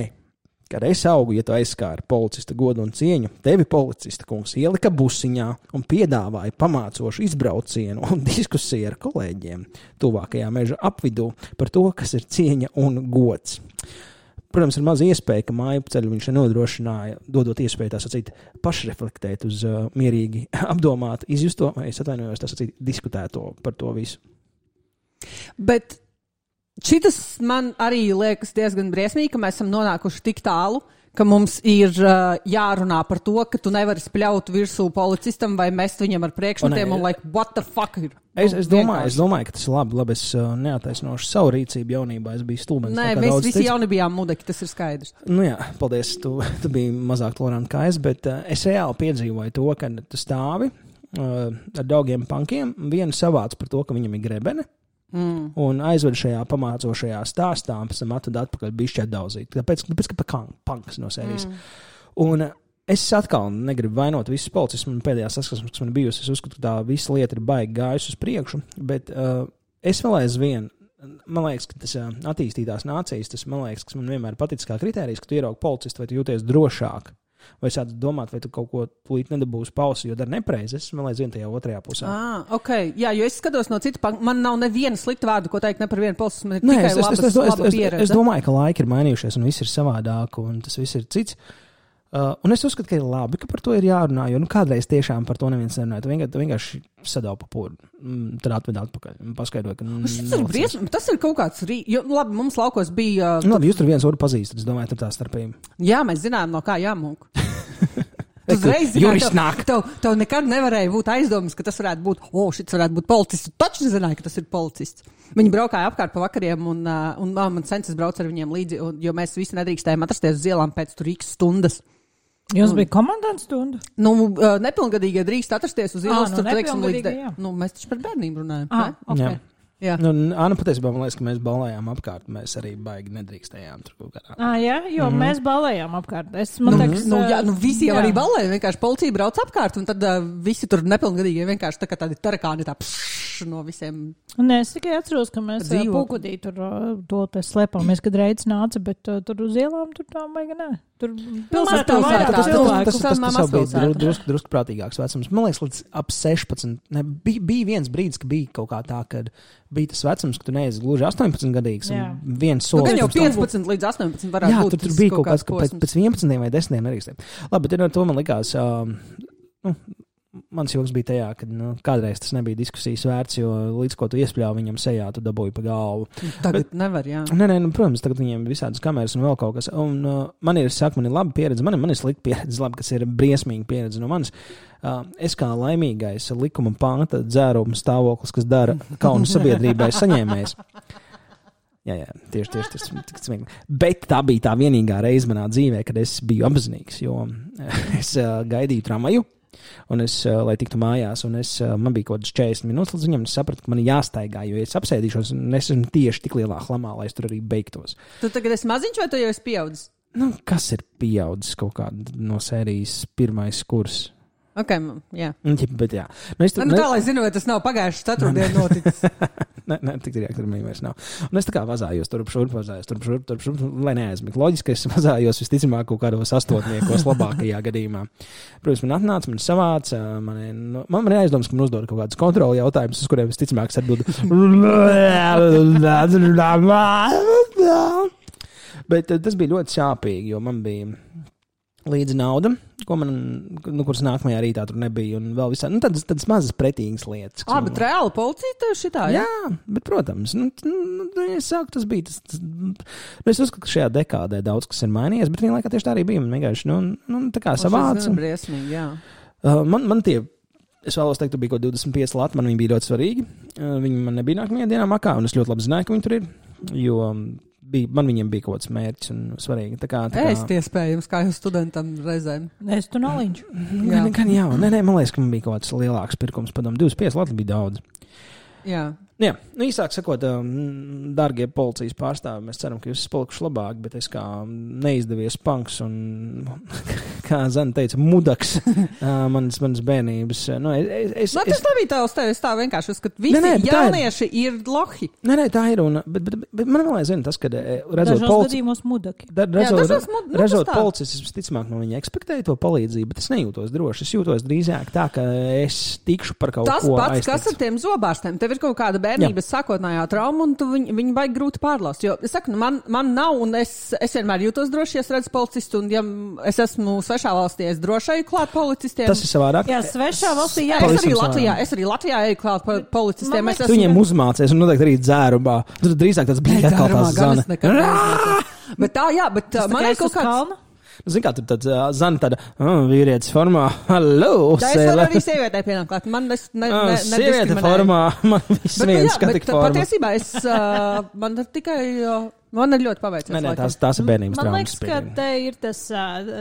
Kad es augu, ja tu aizskāri policista godu un cieņu, tevi policista kungs ielika busiņā un piedāvāja pamācošu izbraucienu un diskusiju ar kolēģiem tuvākajā meža apvidū par to, kas ir cieņa un gods. Protams, ir maz iespēja, ka māju ceļu viņš nodrošināja, dodot iespēju tā sacīt pašreflektēt uz uh, mierīgi apdomāt, izjusto, vai es atvainojos, tā sacīt diskutēto par to visu. Bet šitas man arī liekas diezgan briesmīgi, ka mēs esam nonākuši tik tālu, ka mums ir uh, jārunā par to, ka tu nevari spļaut virsū policistam vai mest viņam ar priekšmetiem un, un like, what the fuck ir? Es, es, domāju, es domāju, ka tas ir labi. labi es uh, neataisnošu savu rīcību jaunībā. Es biju stulbens. Nē, mēs visi cits. Jauni bijām mudeki, tas ir skaidrs. Nu jā, paldies. Tu, tu biji mazāk tolerants kā es, bet uh, es reāli piedzīvoju to, ka tu stāvi uh, ar daugiem punkiem, vienu savāc par to, ka viņam ir grebene. Mm. Un aizved šajā pamācošajā stāstā, un pēc tam atved atpakaļ bišķi atdauzīt. Tāpēc, tāpēc ka pa punks no sērijas. Mm. Un es atkal negribu vainot visus policistus. Man pēdējā saskarsmes, kas man bijusi, es uzskatu, ka tā visa lieta ir baigi gājusi uz priekšu, bet uh, es vēl aizvien, man liekas, ka tas uh, attīstītās nācijas, tas man liekas, kas man vienmēr paticis kā kritērijs, ka tu ieraugi policistu vai tu jūties drošāk. Vai sāc domāt, vai tu kaut ko tūlīt nedabūsi pausi, jo dar nepreizi. Es man liekas, vien tajā otrajā pusē. Ah, ok. Jā, jo es skatos no citu, man nav neviena slikta vārdu, ko teikt ne par vienu policistu, man ir Nē, tikai es, labas, es, es, laba es, pieredze. Es, es domāju, ka laiki ir mainījušies un viss ir savādāk un tas viss ir cits. Uh, un es uzskatu, ka ir labi, ka par to ir jārunā, jo nu, kādreiz tiešām par to neviens nerunāja. Tu vienkārši, tu vienkārši sadaupa pūru, tad atved atpakaļ un paskaidroja, ka... Tas ir, bries, tas ir kaut kāds... Rī... Jo, labi, mums laukos bija... Uh, nu, labi, jūs tur viens otru pazīstat, es domāju, tur tā starpība. Jā, mēs zinām, no kā jāmūk. Tu uzreiz zināji, tev, tev, tev nekad nevarēja būt aizdomas, ka tas varētu būt, o, oh, šis varētu būt policists. Tu taču nezināji, ka tas ir policists. Viņi braukāja apkārt pa vakariem, un, uh, un uh, man senses brauc ar viņiem līdzi, un, jo mēs visi nedrīkstējām atrasties uz ielām pēc tur x stundas. Jums un, bija komandants stunda? Nu, uh, nepilngadīgie drīkst atrasties uz ielas, ah, tur, nu, teiksim, līdz... De... Nu, mēs taču par bērnību runājam. Ah, ne? ok. Jā. Jā. Nu, Anna patiesībā man liekas, ka mēs balējām apkārt. Mēs arī baigi nedrīkstējām tur kaut kādā. Ah, jā, jo mm-hmm. mēs balējām apkārt. Es, man nu, teiks, nu, jā, nu visi jau jā. Arī balēja. Vienkārši policija brauc apkārt, un tad uh, visi tur nepilngadīgie vienkārši tā kā tādi tarakāni tā pšš no visiem. Nē, es tikai atceros, ka mēs uh, Pūkudī tur uh, to te slēpāmies, kad Reids nāca, bet uh, tur uz ielām tur tā baigi nē. Tur pilsētā vairāk cilvēku. Tas, tas, tas jau bija drusku drusku prātīgāks vecums. Man liekas, līdz ap sešpadsmit. Ne, bija, bija viens brīdis, ka bija kaut kā tā, kad bija tas vecums, ka tu neesi gluži astoņpadsmit gadīgs. Viens solis. Nu, jau piecpadsmit līdz astoņpadsmit varētu jā, būt. Jā, tur, tur bija kaut kāds, ka pēc, pēc vienpadsmit vai desmit nerīkstiem. Labi, bet to man likās... Um, nu, mans joks bija tajā, ka nu, kādreiz tas nebija diskusijas vērts, jo līdz ko tu iespļāvi viņam sejā, tu dabūji pa galvu. Tagad bet, nevar, jā. Nē, nē, nu, protams, tagad viņiem ir visādas kameras un vēl kaut kas. Un uh, man ir, saka, man ir laba pieredze, man ir, man ir slikta pieredze, labi, kas ir briesmīga pieredze no manis. Uh, es kā laimīgais likuma panta dzēruma stāvoklis, kas dara kaunu sabiedrībai saņēmējs. Jā, jā, tieši, tieši tas ir smieklīgi. Bet tā bija tā vienīgā reize manā dzīvē, kad es biju apzinīgs, jo es uh, gaidīju tramvaju. Un es, lai tiktu mājās, un es, man bija kaut kāds četrdesmit minūtes līdz viņam, es sapratu, ka man ir jāstaigā, jo es apsēdīšos, un es esmu tieši tik lielā hlamā, lai es tur arī beigtos. Tu tagad esi maziņš, vai tu jau esi pieaudzis? Nu, kas ir pieaudzis kaut kāda no sērijas pirmais kurs? Ok, jā. Bet jā. Nu, tur, nu, nu, tā, lai zinu, vai tas nav pagājuši ceturtdien noticis. Nē, nē, tik direkt ar mani vairs nav. Un es tā kā vazājos, turp šurp, vazājos, turp šurp, turp šurp, lai neaizmigt. Loģiski, ka es vazājos visticamāk kaut kādos astotniekos labākajā gadījumā. Protams, man atnāca, man savāca, man, man, man ir aizdoms, ka man uzdod kaut kādas kontroli jautājumus, uz kuriem visticamāk es atbildu. Bet tas bija ļoti sāpīgi, jo man bija līdzi nauda, ko man, nu, kuras nākamajā rītā tur nebija, un vēl visā, nu, tādas, tādas mazas pretīgas lietas. Ā, bet reāli policija tev šitā, jā? Jā, bet, protams, nu, nu es sāku, tas bija, tas, tas, nu, es uzskatu, ka šajā dekādē daudz kas ir mainījies, bet vienlaikā tieši tā arī bija, man vienkārši, nu, nu tā kā savāca. Tas ir briesmīgi, jā. Uh, man, man tie, es vēlos teikt, tur bija kaut divdesmit pieci lati, man viņi bija ļoti svarīgi, uh, viņi man nebija nākamajā dienā makā, un es ļoti labi zināju, ka viņi tur ir, jo... Bija, man viņiem bija kaut kāds mērķis un svarīgi. Tā kā, tā kā... Ēst iespējams, kā jūs studentam reizēm. Es tu noliņš. Jā, gan jā. Nē, nē, man liekas, ka man bija kaut kāds lielāks pirkums. Padom, divdesmit pieci lati bija daudz. Jā. Jā, nu īsāk sakot, dārgie policijas pārstāvi, mēs ceram, ka jūs esat palikuši labāk, bet es kā neizdevies punks un, kā Zana teica, mudaks manas, manas bērnības. Nu, es, es, Nā, tas nebija tā uz tevi, es tā vienkārši uzskatu, visi nē, nē, jaunieši ir... ir lohi. Nē, nē, tā ir, un, bet, bet, bet man vēl aizvien tas, kad redzot polici... da, redzot, Jā, mud... nu, redzot policis, es visticamāk no viņa ekspektēju to palīdzību, bet es nejūtos droši. Es jūtos drīzāk tā, ka es tikšu par kaut tas ko pats, aiztiks. Kas ar tiem zobārstiem? Tev ir kaut kāda bērnības sākotnējā trauma, un tu viņu, viņu baigi grūti pārlaust. Jo, es saku, nu, man, man nav, un es, es vienmēr jūtos droši, ja es redzu policistu, un ja es esmu svešā valstī, es droši eju klāt policistiem. Tas ir savādāk. Jā, svešā valstī, jā. Es arī Latvijā, es arī Latvijā eju klāt policistiem. Man, es tu esmu... viņiem uzmācies, un noteikti arī dzērumā. Tu drīzāk tāds bija atkal tās Zana. Bet tā, jā, bet tas man ir kaut kāds... Kalna? Zini, kā tur tāds uh, zana tāda oh, vīrietis formā. Hallo! Tā es varu arī sievietē pienākt klāt. Man nes, ne, ne, ne sieviete formā, man viss bet, viens jā, skatik bet, formā. Patiesībā es, uh, man tikai, uh, man ir ļoti paveicies. Nē, nē, tās, tās ir bērnības Man traumas. liekas, ka te ir tas,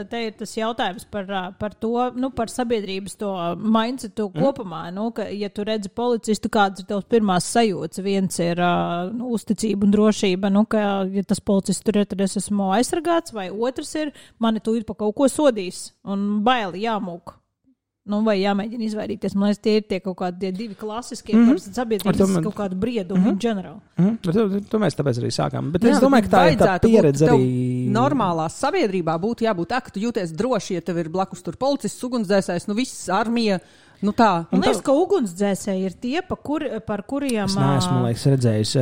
te ir tas jautājums par, par to, nu, par sabiedrības to mindsetu mm. kopumā, nu, ka, ja tu redzi policistu, kādas ir tavs pirmās sajūtas, viens ir uh, nu, uzticība un drošība, nu, ka, ja tas policists tur ir, tad es esmu aizsargāts, vai otrs ir, mani tu ir pa kaut ko sodīs, un baili jāmūk. Nu, vai jāmēģina izvairīties. Man liekas, tie ir tie kaut kādi tie divi klasiskie mm -hmm. par sabiedrības man... kaut kādu briedumu mm -hmm. ģenerāli. Mm -hmm. to, to mēs tāpēc arī sākām. Bet jā, es domāju, ka tā ir tā pieredze arī. Normālā sabiedrībā būtu jābūt tā, ka tu jūties droši, ja tev ir blakus tur policists, ugunsdzēsējs, nu viss armija. Nu tā. Man liekas, ka ugunsdzēsēji ir tie, pa kur, par kuriem... Es neesmu, liekas, redzējis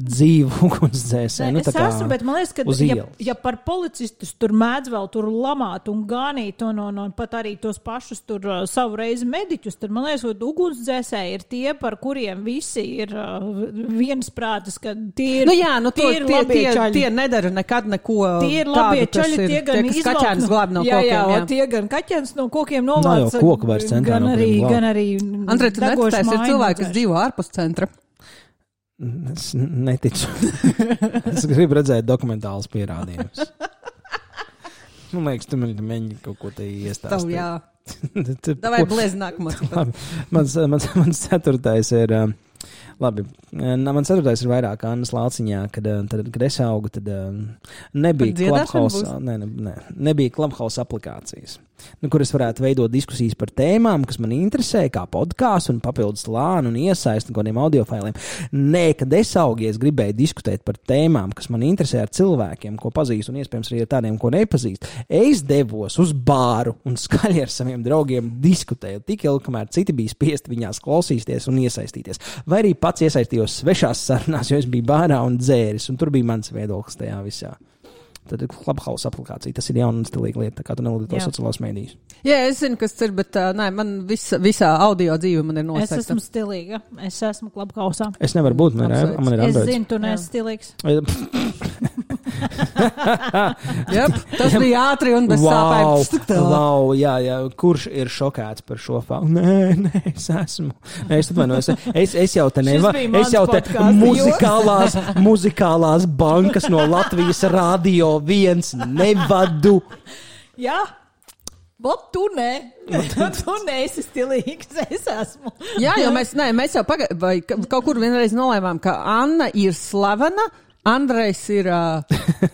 dzīvu ugunsdzēsēju. Nu, es esmu, bet man liekas, ka ja, ja par policistus tur mēdz vēl tur lamāt un ganīt un, un, un pat arī tos pašus tur uh, savu reizi mediķus, tad man liekas, ka ugunsdzēsēji ir tie, par kuriem visi ir uh, viensprātis, ka tie ir, nu jā, nu to, tie ir tie, labie tie, čaļi. Tie nedara nekad neko tie ir labie tādu, čaļi, tie gan tie, kas kaķēns glāb no jā, kokiem. Jā, jā, tie gan kaķēns no kokiem novāc. Nav jau koku vairs centrā. Gan arī, gan arī Andrej, tu neticēsi, ir cilvēki, kas dzīvo ārpus centra. Es neticu. Es gribu redzēt dokumentālus pierādījumus. Man liekas, tu man mēģini kaut ko te iestāstīt. Tavu, jā. Davai bliezi nākamo. Mans, mans, mans ceturtais ir... Uh, Labi, mans ceturtais ir vairāk Annas Lauciņā, kad, tad, kad es augu, tad nebija Clubhouse, ne, ne, ne, nebija Clubhouse aplikācijas, nu, kur es varētu veidot diskusijas par tēmām, kas man interesē, kā podkāsts un papildus lānu un iesaisti kādiem audiofailiem. Nē, kad es augu, es gribēju diskutēt par tēmām, kas man interesē ar cilvēkiem, ko pazīstu un iespējams arī ar tādiem, ko nepazīstu. Es devos uz bāru un skaļi ar saviem draugiem diskutēju tik ilgi, kamēr citi bija spiesti viņās klausīties un iesaistīties. Vai arī pats iesaistījos svešās sarunās, jo es biju bārā un dzēris, un tur bija mans viedoklis tajā visā. Tad ir Clubhouse aplikācija, tas ir jauna un stilīga lieta, kā tu nelieto sociālās mēdījus. Jā, es zinu, kas ir, bet uh, nē, man visa, visā audio dzīve man ir noslēgta. Es esmu stilīga, es esmu Clubhouse'ā. Es nevaru būt, man ir, man ir Es Androids. zinu, tu neesi stilīgs. Jep, tas bija ātri un bez wow, sāpēm. Wow, jā, jā, kurš ir šokēts par šo faktu? Nē, nē, es esmu. Nē, es atvainojos. Es, es jau te nevaru. Es jau te muzikālās, muzikālās bankas no Latvijas radio viens nevadu. Jā. Vat tu nē. Tu neesi stilīgs, es esmu. Jā, jo mēs, nē, mēs jau paga... vai kaut kur vienreiz nolēmām, ka Anna ir slavena, Andrejs ir... Uh,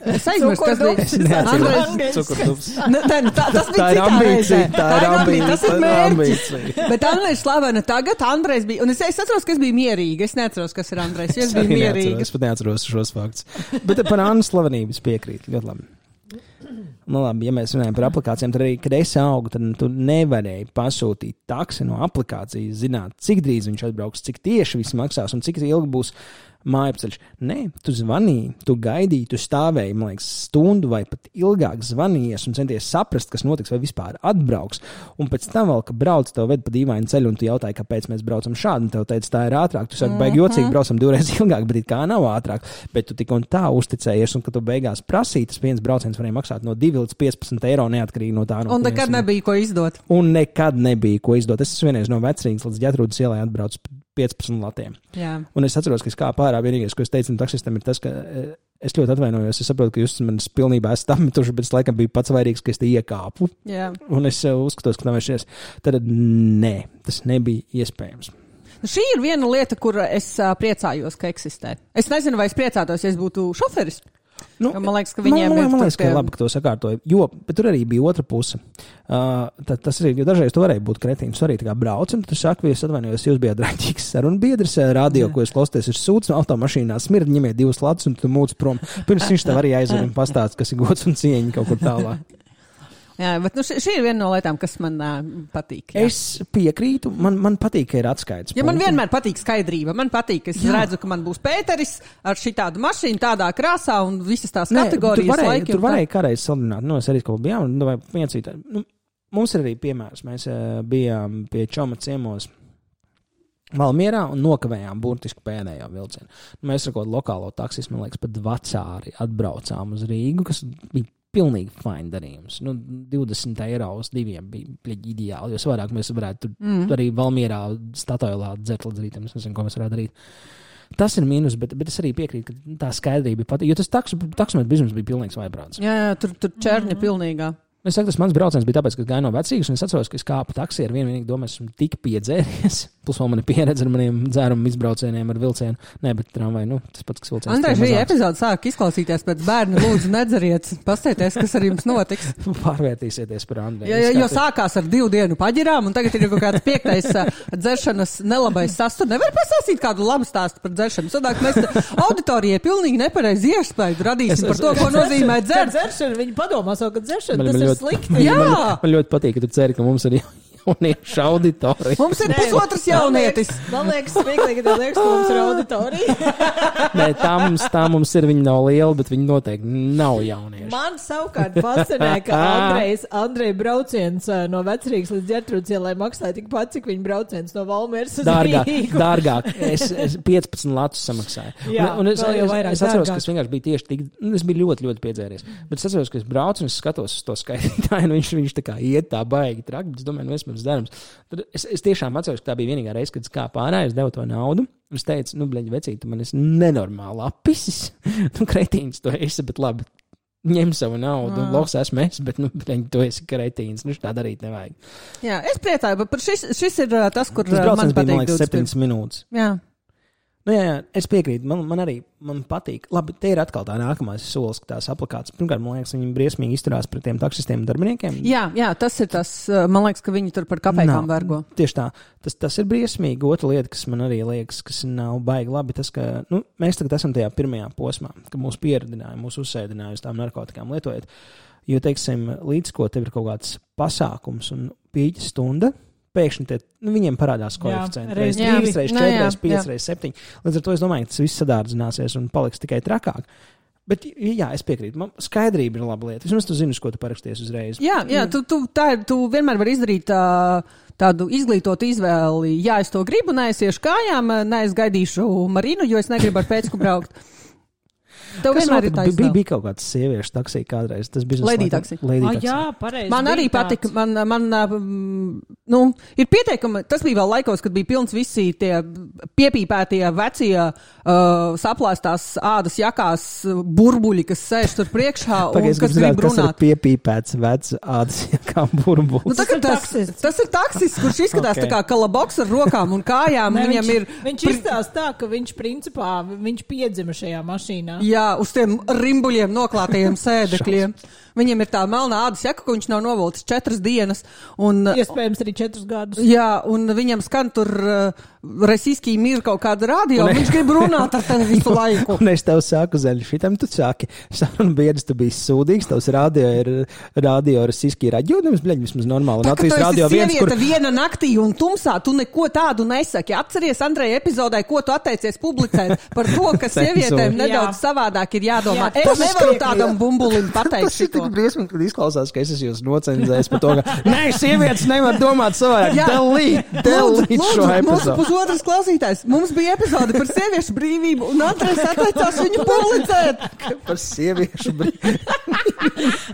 es aizmirstu, kas bija. Andrejs Cukurdubs. Ne, tā, tā, tas bija tā ir citā reizē. Tā ir ambīcija. Tas ir mērķis. Bet Anna ir slavena tagad, Andrejs bija... Un es, es atceros, ka es biju mierīga. Es neatceros, kas ir Andrejs. Es biju mierīga. Es pat neatceros šos faktus. Bet par Annas slavenību es piekrītu. Ļoti labi. Nu, labi, ja mēs runājam par aplikācijām, tad arī, kad es augu, tad tu nevarēji pasūtīt taksi no aplikācijas, zināt, cik drīz viņš atbrauks, cik tieši viss maksās un cik ilgi būs mājapceļš. Nē, tu zvanīji, tu gaidīji, tu stāvēji, man liekas, stundu vai pat ilgāk zvanījies un centies saprast, kas notiks vai vispār atbrauks. Un pēc tam vēl, ka brauc, tev ved pa dīvainu ceļu un tu jautāji, kāpēc mēs braucam šādi, un tev teica, tā ir ātrāk. Tu saki, baigi jocīgi, braucam divreiz ilgāk, bet it kā nav ātrāk. Bet tu tik un tā uzticējies, un kad tu beigās prasīji, tas viens brauciens varēja maksāt no divi līdz piecpadsmit eiro neatkarīgi no tā. No un nekad nebija ko izdot. Un nekad nebija ko izdot. Es vienreiz no Vecrīgas līdz Ģetrūdas ielai atbraucu piecpadsmit latiem. Jā. Un es atceros, ka es kā pārā vienīgais, ko es teicu taksistam, ir tas, ka es ļoti atvainojos. Es saprotu, ka jūs manis pilnībā esat apmetuši, bet es laikam biju pats vairīgs, ka es te iekāpu. Jā. Un es uzskatos, ka tā vairs šies. Tad nē, tas nebija iespējams. Šī ir viena lieta, kur es priecājos, ka eksistē. Es nezinu, vai es priecātos, ja es būtu šoferis. Nu, man liekas, ka viņiem man, ir... Man liekas, ka ir labi, ka to sakārtoja. Jo, bet tur arī bija otra puse. Uh, tad, tas arī, jo dažreiz tu varēji būt kretīns. Tu arī tā kā brauc, un tu saki, ja es atvainojos, jūs bijāt raņķīgs sarunbiedrs, radio, ko jūs klausties, ir sūds, automašīnā smird, ņemiet divas latus, un tu mūc prom. Pirms viņš tev arī aizver un pastāst, kas ir gods un cieņa kaut kur tālāk. Jā, bet nu, šī, šī ir viena no lietām, kas man uh, patīk. Jā. Es piekrītu, man, man patīk, ka ir atskaits. Ja man vienmēr patīk skaidrība. Man patīk, ka es jā. redzu, ka man būs Pēteris ar šitādu mašīnu, tādā krāsā un visas tās Nē, kategorijas. Tur varēja, laiki, tur varēja kādreiz salīdzināt. Nu, es arī kaut kā bijām, nu, vai viensītā. Nu, mums ir arī piemērs. Mēs uh, bijām pie Čoma ciemos Valmierā un nokavējām burtiski pēdējo vilcienu. Mēs ar kaut lokālo taksis, man liekas, pat vecāri atbraucām uz Rīgu, kas bija pilnīgi fine darījums. Nu, divdesmit eiro uz diviem bija pļaģi ideāli, jo savādāk mēs varētu tur mm. arī Valmierā Statoilā dzert līdz rītam. Es nezinu, ko mēs varētu darīt. Tas ir mīnus, bet, bet es arī piekrītu, ka tā skaidrība bija pat, jo tas taksometru bizness bija pilnīgs vaibrāns. Jā, jā, tur, tur čērņa mm. pilnīgā. Es saku, tas mans brauciens bija tāpēc, ka gāju no vecīgas, un es atceros, ka es kāpu taksī ar vienu vienīgi domāju, esmu tik piedzēries. Plus vēl mani pieredze ar maniem dzērumu izbraucieniem ar vilcienu. Nē, bet tramvai, nu, tas pats, kas vilciens. Andrej, šī epizode sāk izklausīties pēc bērni, lūdzu, nedzeriet. Pastieties, kas ar jums notiks. Pārvērtīsieties par Andreju. Ja, ja, jo sākās ar divu dienu paģirām, un tagad ir kaut kāds piektais dzeršanas nelabais sastur. Nevar pasāstīt kādu labu stāstu par dzeršanu. Sadāk, mēs auditorijai pilnīgi nepareizi iespēju radīsim par to, ko nozīmē dzert. Dzeršana, viņi padomā savu, ka dzeršana, tas ir slikti. Jā! Man, man ļoti patīk, ka tu ceri, ka mums ir jauniešu auditorija. Mums ir pusotras jaunietis. Man liekas, smieklīgi, ka tev liekas, ka mums ir auditorija. Nē, tā mums, tā mums ir, viņi nav liela, bet viņi noteikti nav jaunieši. Man savukārt fascinē, ka Andrejs, Andreja brauciens no Vecrīgas līdz Ģertrūdas ielai maksāja tik pat, cik viņa brauciens no Valmieras uz dārgāk, Rīgu. Dārgāk. Es, es piecpadsmit latus samaksāju. Jā, un, un es, vēl jau es, vairāk es atceros, dārgāk. ka es vienkārši biju tieši tik, es biju ļoti, ļoti piedzēries. Bet es atceros, ka es braucu un es skatos uz to skaitītāju, un viņš, viņš tā kā iet tā baigi traki, bet es domāju, nu, es mums darams. Tad es, es tiešām atceros, ka tā bija vienīgā reize, kad es kāpu ārā, es devu to naudu. Es teicu, nu, bleņ, vecīt, tu man esi nenormāli apisis. Nu, kretīns tu esi, bet labi, ņem savu naudu. Mm. Loks esmu es, bet, nu, bleņ, tu esi kretīns. Nu, tā darīt nevajag. Jā, es priecāju, bet šis, šis ir tas, kur tas man patīk. Tas bija, man liekas, septiņas minūtes. Jā. Nu, jā, jā, es piekrītu. Man, man arī man patīk. Labi, te ir atkal tā nākamais solis, ka tās aplikācijas. Pirmkārt, man liekas, viņi briesmīgi izturās pret tiem taksistiem un darbiniekiem. Jā, jā, tas ir tas. Man liekas, ka viņi tur par kapekām vergo. Tieši tā. Tas, tas ir briesmīgi. Otra lieta, kas man arī liekas, kas nav baigi labi, tas, ka nu, mēs tagad esam tajā pirmajā posmā, ka mūs pieradināja, mūs uzsēdināja uz tām narkotikām lietojot. Jo, teiksim, līdz ko tev ir kaut kāds pasākums un pīķa stunda, pēkšņi tie, nu, viņiem parādās koeficienti. Reiz trīs, reiz četri, reiz pieci, reiz septiņi. Līdz ar to es domāju, ka tas viss sadārdzināsies un paliks tikai trakāk. Bet, jā, es piekrītu. Man skaidrība ir laba lieta. Vismaz tu zini, ko tu paraksties uzreiz. Jā, jā tu, tu, tā, tu vienmēr vari izdarīt tā, tādu izglītotu izvēli. Jā, es to gribu, neaiziešu kājām, neaizgaidīšu Marinu, jo es negribu ar pēcku braukt. Tev kas vienmēr ir tā bija, bija kaut kāds sieviešu taksī kādreiz. Tas bija Lady taksī. Lady taksī. Jā, pareizi. Man arī patika. Man, man, nu, ir pieteikumi. Tas bija vēl laikos, kad bija pilns visi tie piepīpētie vecie uh, saplāstās ādas jakās burbuļi, kas sēž tur priekšā un Pagaies, kas grib runāt. Kas ir piepīpēts vecs ādas jakā burbulis? Nu, tas, tas, tas ir taksis, kurš izskatās okay. tā kā kalaboks ar rokām un kājām. Ne, Viņam viņš, ir... viņš izstāsta tā, ka viņš principā, viņš piedzima šajā mašīnā. Jā, uz tiem rimbuļiem noklātajiem sēdekļiem. Viņam ir tā melnā ādas jaka, ko viņš nav novilcis četras dienas. Un, iespējams arī četrus gadus. Jā, un viņam skan tur uh, Resīskī mir kaut kāda radio, un viņš grib runāt ar tevi visu laiku. Un es tev saku, Zeļi, šitam tu saki, sarunu biedrs, tu biji sūdīgs, tavs radio ir radio Resīskī raģūdams, bļaļ, vismaz normāli. Tā, ka tu esi viens, sieviete kur... viena naktī un tumsā, tu neko tādu nesaki. Atceries, Andreja, epizodē, ko tu atteicies publicēt par to, ka sievietēm nedaudz savādāk ir jādomā. Jā, es nevaru tādam bumbulim pateikt šito. Tas ir tik briesmīgi, kad izklausās, ka es esmu jūs nocenzējis par to, ka nē, sievietes nevar domāt savādāk. Delīt, delīt šo epizodu. Mūsu pusotras klausītājs. Mums bija epizode par sieviešu brīvību, un Andrejs atteicās viņu publicēt. Par sieviešu brīvību.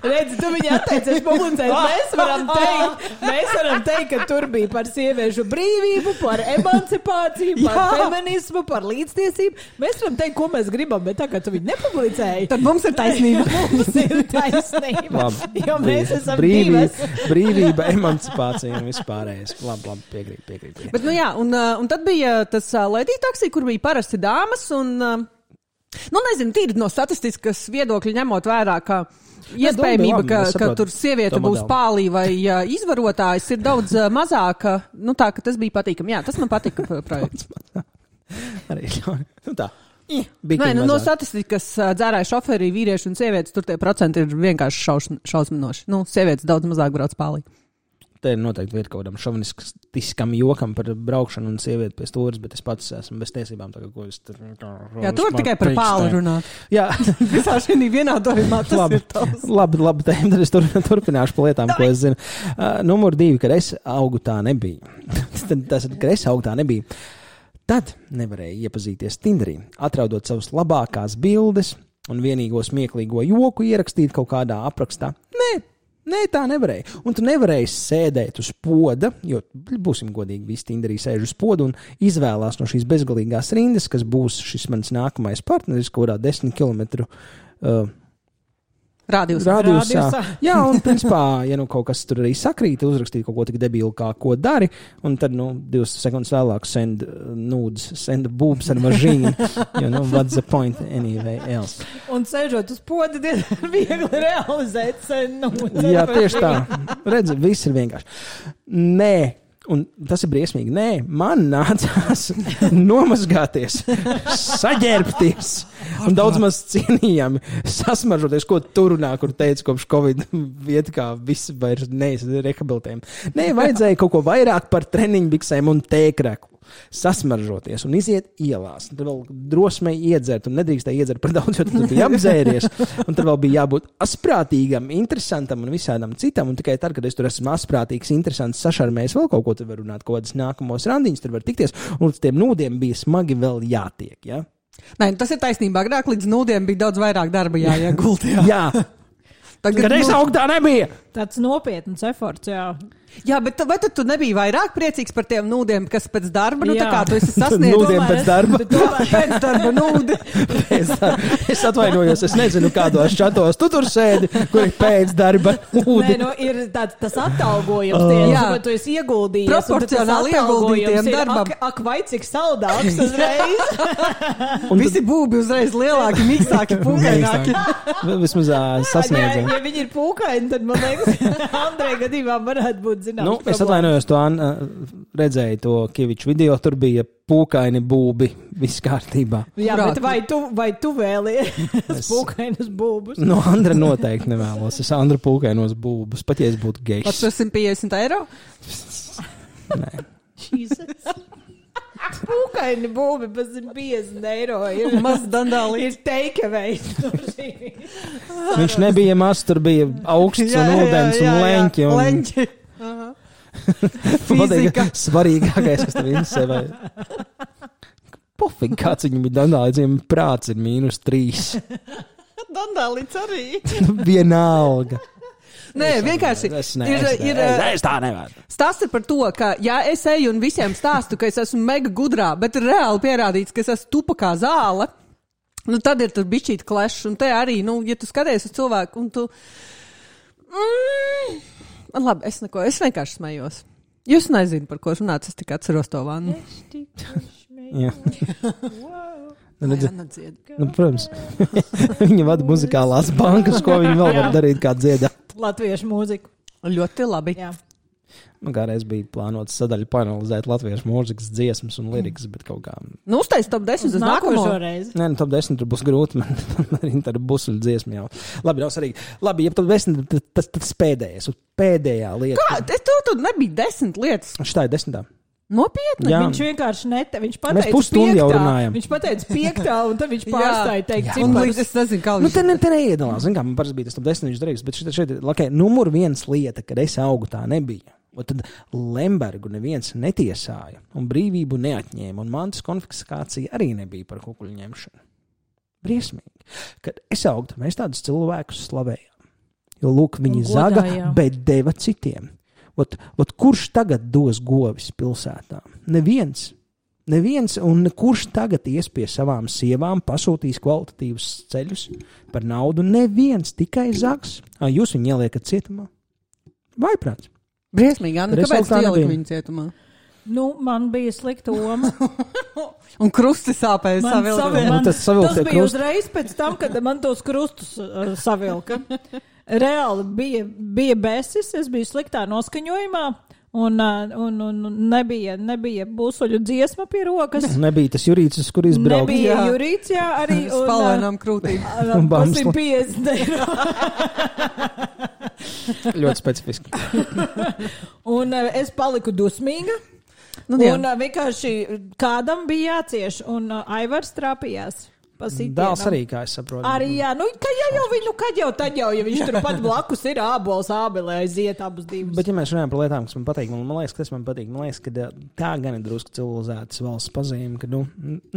Redzi, tu viņu atteicies publicēt. Mēs varam teikt, mēs varam teikt, ka tur bija par sieviešu brīvību, par emancipāciju, par Jā. feminismu, par līdztiesību. Mēs varam teikt, ko mēs gribam, bet tā kā tu viņu nepublicēji, tad mums ir taisnība. Mums ir taisnība. Labi, jo mēs esam brīvība, divas. Brīvība, emancipācija un vispārējais. Labi, labi, piekrīt, piekrīt. piekrīt. Bet, nu jā, un, un tad bija tas Lady taksī, kur bija parasti dāmas, un, nu nezinu, tīri no statistiskas viedokļa ņemot vērā, ka iespējamība, ka, ka tur sieviete būs pālī vai uh, izvarotājs, ir daudz uh, mazāka. Nu tā, ka tas bija patīkami. Jā, tas man patika projekts. Arī, nu tā. Nē, nu, no statistikas dzērāja šoferī, vīrieši un sievietes, tur tie procenti ir vienkārši šaus, šausminoši. Nu, sievietes daudz mazāk brauc pālī. Te ir noteikti vieta kaut kādam šovinistiskam jokam par braukšanu un sievieti pie stūras, bet es pats esmu bez tiesībām. Tagad, ko es tur... Jā, tu vari tikai par pāli runāt. Jā. Visā šī vienādojumā tas labi, ir tavs. Labi, labi, tad es tur, turpināšu pa lietām, ko es zinu. Uh, numur divi, kad es augu tā nebija. Tas, kad es augu tā nebija. Tad nevarēja iepazīties Tinderī, atraudot savas labākās bildes, un vienīgo smieklīgo joku ierakstīt kaut kādā aprakstā. Nē, nē, tā nevarēja. Un tu nevarēji sēdēt uz poda, jo, būsim godīgi, visi tinderī sēž uz poda un izvēlās no šīs bezgalīgās rindas, kas būs šis mans nākamais partneris, kaut kādā desmit kilometru uh, Rādījusā. Rādījusā. Jā, un principā, ja nu kaut kas tur arī sakrīt, uzrakstīt kaut ko tik debilu, kā ko dari, un tad, nu, divas sekundes vēlāk send uh, nudes, send boobs ar mažīnu, jo, nu, what's the point anyway else. Un sēžot uz poda, diezgan viegli realizēt send nudes. Jā, tieši tā. Redzi, viss ir vienkārši. Nē. Un tas ir briesmīgi. Nē, man nācās nomazgāties, saģērbties un daudz maz cienījami sasmaržoties, ko tu runā, kur teica kopš Covid vieta, kā visi vairs neesi rehabilitējumi. Nē, vajadzēja kaut ko vairāk par treniņbiksēm un tēkreku. Sasmaržoties un iziet ielās. Tad vēl drosmei iedzert un nedrīkstēja iedzert par daudz, jo tu biji apdzēries. Un tad vēl bija jābūt asprātīgam, interesantam un visādam citam. Un tikai tad, kad es tur esmu asprātīgs, interesants, sašarmējis vēl kaut ko, tad var runāt kaut kādas nākamos randiņas, tad var tikties. Un līdz tiem nūdiem bija smagi vēl jātiek, ja? Nē, tas ir taisnība. Agrāk līdz nūdiem bija daudz vairāk darba jāiegulda. Jā. Jā. Tagad, kad es augtu, tā nebija. Tāds nopietns eforts, jā. Jā, bet vai tad tu nebija vairāk priecīgs par tiem nūdiem, kas pēc darba, nu jā. Tā kā tu esi sasniedzis? Nūdiem pēc darba? Pēc darba nūdi. Pēc darba. Es atvainojos, es nezinu, kādos čatos tu tur sēdi, kur ir pēc darba nūdi. Nē, nu ir tāds, tas atalgojums, uh. tieši, bet tu esi ieguldījies. Proporcionāli ieguldītiem darbam. Ak, ak, vai cik saldāks uzreiz. Un visi būbi uzreiz lielāki, miksāki, pūkaināki. Vismaz sasniedzam. Ja viņi ir pūkaini, tad man liekas, Andrei gadījumā varētu būt. Zināms, nu, es atvainojos, to Anna redzēju to Kieviču video, tur bija pūkaini būbi, viss kārtībā. Jā, Prāt. Bet vai tu, vai tu vēlies es... pūkainus būbus? No Andra noteikti nevēlos. Es Andra pūkainos būbus, pat ja es būtu gejs. Pat par simt piecdesmit eiro? Nē. Pūkaini būbi par simt piecdesmit eiro ir maz dandāli. Ir takeaway. Viņš nebija maz, tur bija augsts jā, un ūdens jā, jā, un leņķi. Un... Leņķi. Fizika. Svarīgākais, kas tev interesē. Pofīgi, kāds viņam bija dandālīdziem, prāts ir mīnus trīs. Dandālīts arī. Vienalga. Nē, vienkārši es, ne, ir, es, ir, es, es tā nevaru. Stāsts ir par to, ka jā, es eju un visiem stāstu, ka es esmu mega gudrā, bet ir reāli pierādīts, ka es esmu tupa kā zāle. Nu, tad ir tur bišķīt klešs, un te arī, nu, ja tu skaties uz cilvēku, un tu... Mm, labi, es neko, es vienkārši smējos. Jūs nezinu, par ko runāt, es tikai atceros to vannu. Es tikai Jā. Wow. Nu, nu, protams, viņa vada muzikālās bankas, ko viņa vēl var darīt kā dziedāt. Latviešu mūziku. Ļoti labi. Jā. Nu, kādreiz bija plānots sadaļu panelizēt latviešu mūzikas dziesmas un lirikas, bet kaut kā... Nu, uztais top desmit uz nākamo reizi. Nē, nu, top desmit tur būs grūti, man arī tā ir busuļu dziesma jau. Labi, nav svarīgi. Labi, ja top desmit, tas, tas pēdējais, pēdējā lieta. Kā? Tu tur nebija desmit lietas. Šitā ir desmitā. Nopietni? Jā. Viņš vienkārši nete, viņš pateica Mēs pusstundu jau runājam. Viņš pateica piektā, un tad viņš pārstāja teikt ciparus. Un līdz es nezinu, kā nu, te, ne, te neiedalās. Zin kā, man parasti bija tas top desmit, viņš darīgs, bet šeit, šeit ir, okay, numur viens lieta, kad es augu tā nebija. Un tad Lembergu neviens netiesāja, un brīvību neatņēma, un mantas konfiskācija arī nebija par kukuļu ņemšanu. Briesmīgi. Kad es augu, mēs tādus cilvēkus slavējām. Jo, lūk, viņi zaga, bet deva citiem. Ot, ot, kurš tagad dos govis pilsētā? Neviens. Neviens, un kurš tagad ies pie savām sievām, pasūtīs kvalitatīvus ceļus par naudu? Neviens, tikai zags. Ā, jūs viņu ieliekat cietumā? Vaiprāts. Briesmīgi, Anna, kāpēc tu ieliki viņu cietumā? Nu, man bija slikta oma. Un krusti sāpēja savilka. Man, man, tas tas bija krust... uzreiz pēc tam, kad man tos krustus uh, savilka. Reāli bija, bija besis, es biju sliktā noskaņojumā, un, un, un nebija, nebija būsoļu dziesma pie rokas. Nebija tas Jurītis, kur izbraukt. Nebija Jurīts, jā, arī. Spalvainām krūtīm. Tas ir piecdesmit eiro. Ļoti specifiski. Un uh, es paliku dusmīga. Nu, un uh, vienkārši kādam bija jācieš, un uh, Aivars trāpījās. Dēls arī, kā es saprotu. Arī, jā, nu, kad jau, jau, nu, kad jau, tad jau, ja viņš tur pat blakus ir ābols, ābelē, aiziet abus divus. Bet, ja mēs runājam par lietām, kas man patīk, man, man liekas, ka tas man patīk, man liekas, ka tā gan ir drusku civilizētas valsts pazīme, ka, nu,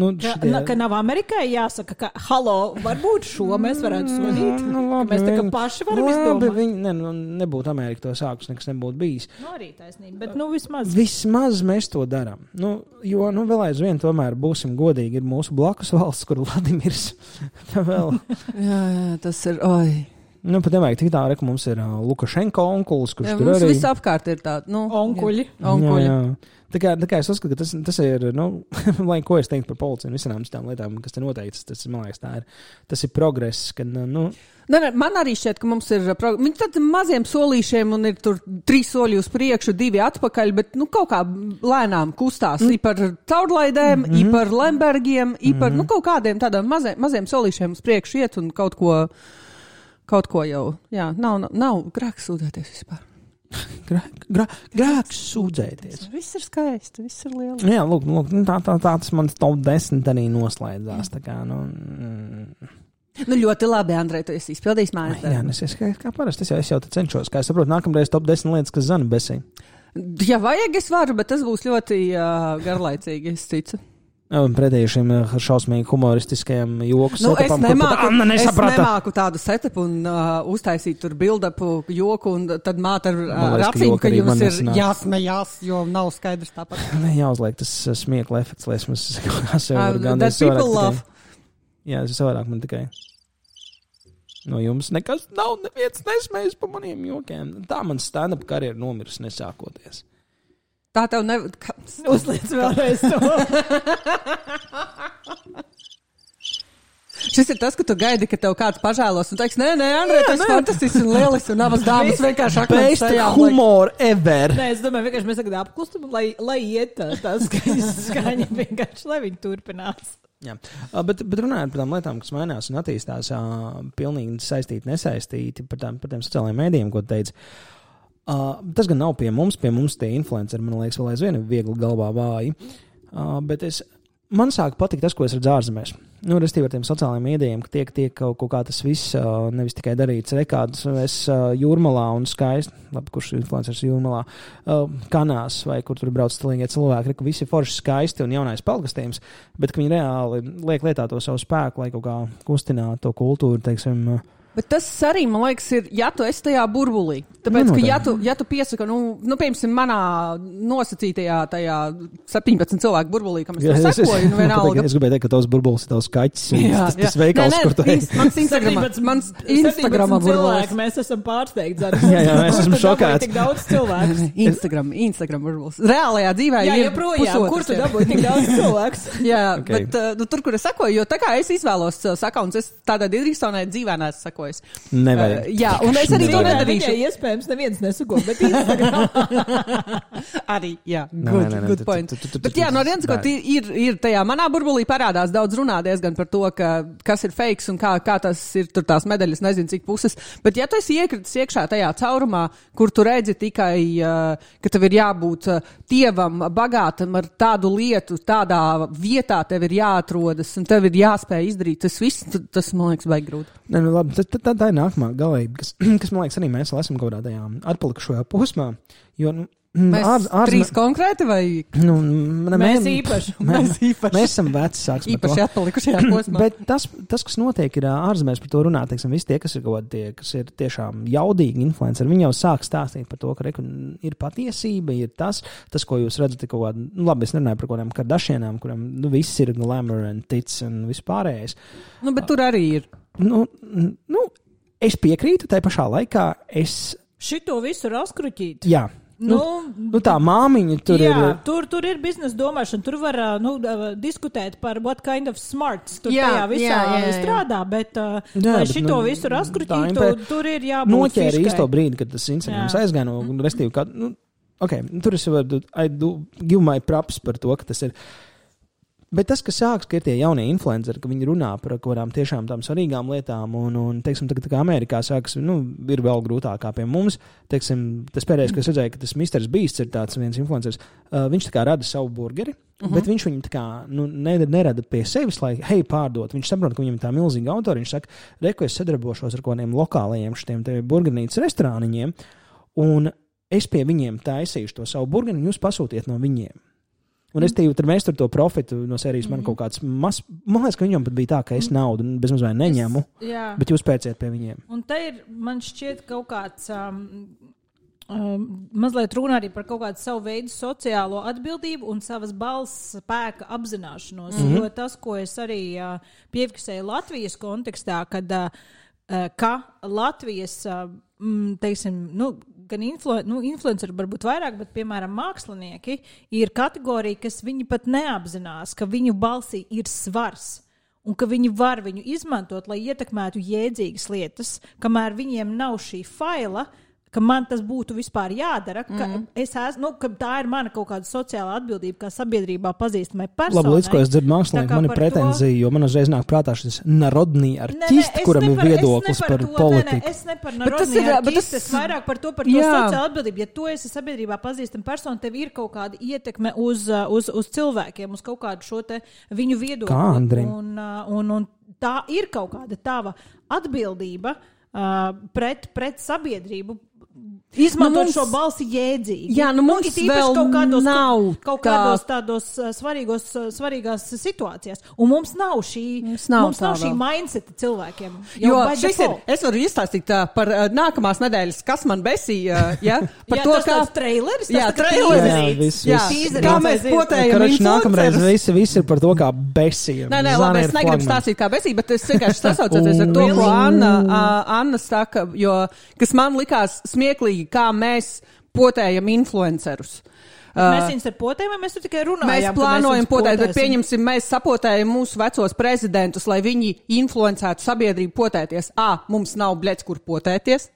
nu šitie... ja, ka nav Amerikai jāsaka, ka, halo, varbūt šo mēs varētu sodīt, nu, labi, mēs tā kā paši varam labi, izdomāt. Viņi, ne, nu, nebūtu Amerika to sākus, nekas nebūtu bijis. Nu, arī taisnība, bet, nu, vismaz. Vismaz mēs to darām. Nu, jo, nu, vēl aizvien tomēr būsim godīgi, ir mūsu blakus valsts, kur Vladimirs vēl. jā, jā, tas ir, oi. Nu, pat nevajag tik tā, ka mums ir uh, Lukašenko onkulis, kurš jā, tur arī... Mums viss apkārt ir tādi, nu... Onkuļi. Onkuļi. Jā, jā. Tā kā, tā kā es uzskatu, ka tas, tas ir, nu, lai ko es teiktu par policiju un visām tām lietām, kas te noteikts, tas, man liekas, tā ir, tas ir progress, ka, nu... Ne, ne, man arī šķiet, ka mums ir viņi tad maziem solīšiem un ir tur trīs soļi uz priekšu, divi atpakaļ, bet, nu, kaut kā lēnām kustās mm. i par caurlaidēm, mm-hmm. i par Lembergiem, i par, mm-hmm. nu, kaut kādiem tādām maziem, maziem solīšiem uz priekšu iet un kaut ko, kaut ko jau, jā, nav, nav, nav grēks sūdzēties vispār. Grēk, grā, grēks sūdzēties. Viss ir skaisti, viss ir liels. Jā, lūk, lūk tā, tā, tā tas mans top desmit arī noslēdzās, tā kā, nu... Mm. Nu, ļoti labi, Andrej, tu esi izpildījis mājas darbu. Jā, es esmu kā, kā parasti, es jau, es jau te cenšos, kā es saprotu, nākamreiz top desmit lietas, kas zana besī. Ja vajag, es varu, bet tas būs ļoti uh, garlaicīgi, es ticu. Un pretēji šim šausmīgi humoristiskajam joku nu, setupam, es nemāku, kur Anna nesaprata. Es nemāku tādu setupu un uh, uztaisīt tur build-upu joku, un tad māte ar uh, raciņu, ka jums ir jāsmējās, jo nav skaidrs tāpat. Ne, jāuzliek tas smiekla efekts, lai es mums sev uh, gan that people love. Jā, es savādāk man tikai no jums nekas nav, neviens nesmējas pa maniem jokiem. Tā man stand-up karjera nomirs nesākoties. Tā tev ne... Uzliec vēlreiz to. Šis ir tas, ka tu gaidi, ka tev kāds pažēlos un teiks, nē, nē, Andrej, tas ir fantastisks un lielisks un abas dāmas vienkārši akmens tajā. Best humor ever. Nē, es domāju, vienkārši mēs tagad apklustam, lai, lai iet tā, tā skaņa, skaņa vienkārši, lai viņi turpinās. Jā, bet, bet runājot par tām lietām, kas mainās un attīstās, pilnīgi saistīti, nesaistīti par tām, par tiem sociālajiem mēdījiem, ko teica. Uh, tas gan nav pie mums, pie mums tie influenceri, man liekas, vēl aizvien viegli galvā vāji, uh, bet es, man sāk patikt tas, ko es redzu ārzemēs. Nu, restīvi ar tiem sociālajiem mēdījiem, ka tiek, tiek kaut, kaut kā tas viss, uh, nevis tikai darīts rekādus, es uh, jūrmalā un skaisti, labi, kurš influenceris jūrmalā, uh, kanās vai kur tur brauc stilīgie cilvēki, ka visi forši skaisti un jaunais pelgastījums, bet ka viņi reāli liek lietā to savu spēku, lai kaut kā kustinātu to kultūru, teiksim, uh, Bet tas arī, man liekas, ir, ja tu esi tajā burbulī. Tāpēc, ka ja tu, ja tu piesaka, nu, nu, piemēram, manā nosacītajā tajā septiņpadsmit cilvēku burbulī, kam es to jā, sekoju, nu vienalga. Es gribēju teikt, ka tavs burbulis ir tavs kaķis. Jā, tas, tas veikals, nē, nē, kur tu esi. Mans Instagrama, mans Instagrama burbulis. Mēs esam pārsteigti. Jā, jā, mēs esam šokāti. Tik daudz cilvēku. Instagram, Instagram burbulis. Reālajā dzīvē jā, ir pusotrs. Kur tu dabūji tik daudz cilvēks? Jā, okay. Bet uh, nu, tur, kur es sekoju, jo tā kā es izvēlos uh, sakauns, es tādā Didriksonē dzīvē neesmu sakojis. Nevajag. Uh, jā, un es arī to nedarīšu. Viņai iespējams neviens nesako, bet Instagram. Arī, jā, good, nē, nē, good point. Bet jā, no vienas, ko ir, ir tajā manā burbulī parādās daudz runā diezgan par to, ka, kas ir fakes un kā, kā tas ir tur tās medaļas, nezinu cik puses. Bet ja tu esi iekritis iekšā tajā caurumā, kur tu redzi tikai, uh, ka tev ir jābūt uh, tievam, bagātam ar tādu lietu, tādā vietā tev ir jāatrodas un tev ir jāspēj izdarīt, tas viss, tas man liekas baigi grūti. Nē, nu labi, tā, tā, tā ir nākamā galība, kas, kas man liekas arī mēs esam kaut kādā tajā atpalikušajā posmā, jo, nu, mēs ār, ār, trīs konkrēti vai? Nu, ne, mēs īpaši. Mēs, mēs, mēs esam veci, sāksim īpaši atpalikušajā posmā. Bet tas, tas, kas notiek, ir ārzemēs par to runāt, teiksim, visi tie, kas ir kaut tie, kas ir tiešām jaudīgi influenceri, viņi jau sāk stāstīt par to, ka reku, ir patiesība, ir tas, tas, ko jūs redzat, kaut kādā, nu labi, es nerunāju par kaut kādām Kardashianām, kurām, nu, viss ir glamour un tic un vispārējais. Nu, bet tur arī ir. Nu, nu, es piekrītu, tai pašā laikā es... Šito visu raskruķīt. Jā. Nu, nu, nu tā māmiņa tur jā, ir. Tur, tur ir biznesa domāšana, tur var nu, diskutēt par what kind of smarts tur jā, tajā visā jā, jā, jā. strādā, bet, jā, lai bet šito nu, visu raskruķītu, impē... tur ir jābūt noķēra fiškai. Īsto brīdi, kad tas Instagrams aizgāja no restīvi, kā, nu, ok, tur es varu, I do give my props par to, ka tas ir. Bet tas, kas sāks, ka ir tie jaunie influenceri, ka viņi runā par kaut kādām tiešām tām svarīgām lietām, un, un teiksim, tagad, tā kā Amerikā sāks, nu, ir vēl grūtāk kā pie mums, teiksim, tas pēdējais, kas redzēja, ka tas mister Beasts ir tāds viens influenceris, uh, viņš tā kā rada savu burgeri, Uh-huh. Bet viņš viņu tā kā nu, nerada pie sevis, lai, hei, pārdot. Viņš saprot, ka viņam tā milzīga autori. Viņš saka, reku, es sadarbošos ar kādiem lokālajiem šitiem te burgenītas restorāniņiem, un es pie viņiem taisīšu to savu burgeni, jūs pasūtiet no viņiem. Un es tev, tad mēs tur to profitu no sērijas man kaut kāds mas... Man liekas, ka viņam pat bija tā, ka es naudu bezmazliet neņemu, es, bet jūs pērciet pie viņiem. Un te ir, man šķiet, kaut kāds... Um, Um, mazliet runā arī par kaut kādu savu veidu sociālo atbildību un savas balss spēka apzināšanos. Mm-hmm. Jo tas, ko es arī uh, piefiksēju Latvijas kontekstā, kad uh, ka Latvijas, uh, teiksim, nu, gan influ, nu, influenceri varbūt vairāk, bet, piemēram, mākslinieki ir kategorija, kas viņi pat neapzinās, ka viņu balsī ir svars. Un ka viņi var viņu izmantot, lai ietekmētu jēdzīgas lietas, kamēr viņiem nav šī faila, ka man tas būtu vispār jādara, ka, mm. es esmu, nu, ka tā ir mana kaut kāda sociāla atbildība, kā sabiedrībā pazīstamai personai. Labi, līdz ko es dzirdu mākslinieku, man ir pretenzija, to... jo man uzreiz nāk prātā šis narodnī artisti, kuram ir viedoklis par to, politiku. Ne, ne, es ne par narodnī artisti, es vairāk par to, par to sociālu atbildību. Ja tu esi sabiedrībā pazīstama persona, tev ir kaut kāda ietekme uz, uz, uz cilvēkiem, uz kaut kādu šo te viņu viedokli. Kā Andrim? Un, un, un tā ir kaut kāda tava atbildība uh, pret, pret sabiedrību, izmantot nu mums, šo balsi jēdzīgi. Jā, nu mums nu, vēl kaut kādos, nav kaut kādos tādos svarīgos, svarīgās situācijās. Un mums nav šī, mums nav, mums nav šī mindseta cilvēkiem. Jo šis ir, es varu izstāstīt uh, par uh, nākamās nedēļas, kas man besīja, uh, ja? Par jā, to, tas kā... tāds traileris, jā, tas traileris. Jā, viss, jā, viss. Kā mēs potējam influencerus. Nākamreiz visi, visi ir par to, kā besīja. Nē, nē, labi, es negribu stāstīt kā besīja, bet es vienkārši sasaucoties ar to, ko Anna, uh, Anna saka, jo, kas man likās smieklīgi, kā mēs potējam influencerus. Mēs viņus ar potēm, vai mēs tur tikai runājam? Mēs plānojam mēs potēt, bet pieņemsim, mēs sapotējam mūsu vecos prezidentus, lai viņi influencētu sabiedrību potēties. Ā, mums nav bļets, kur potēties.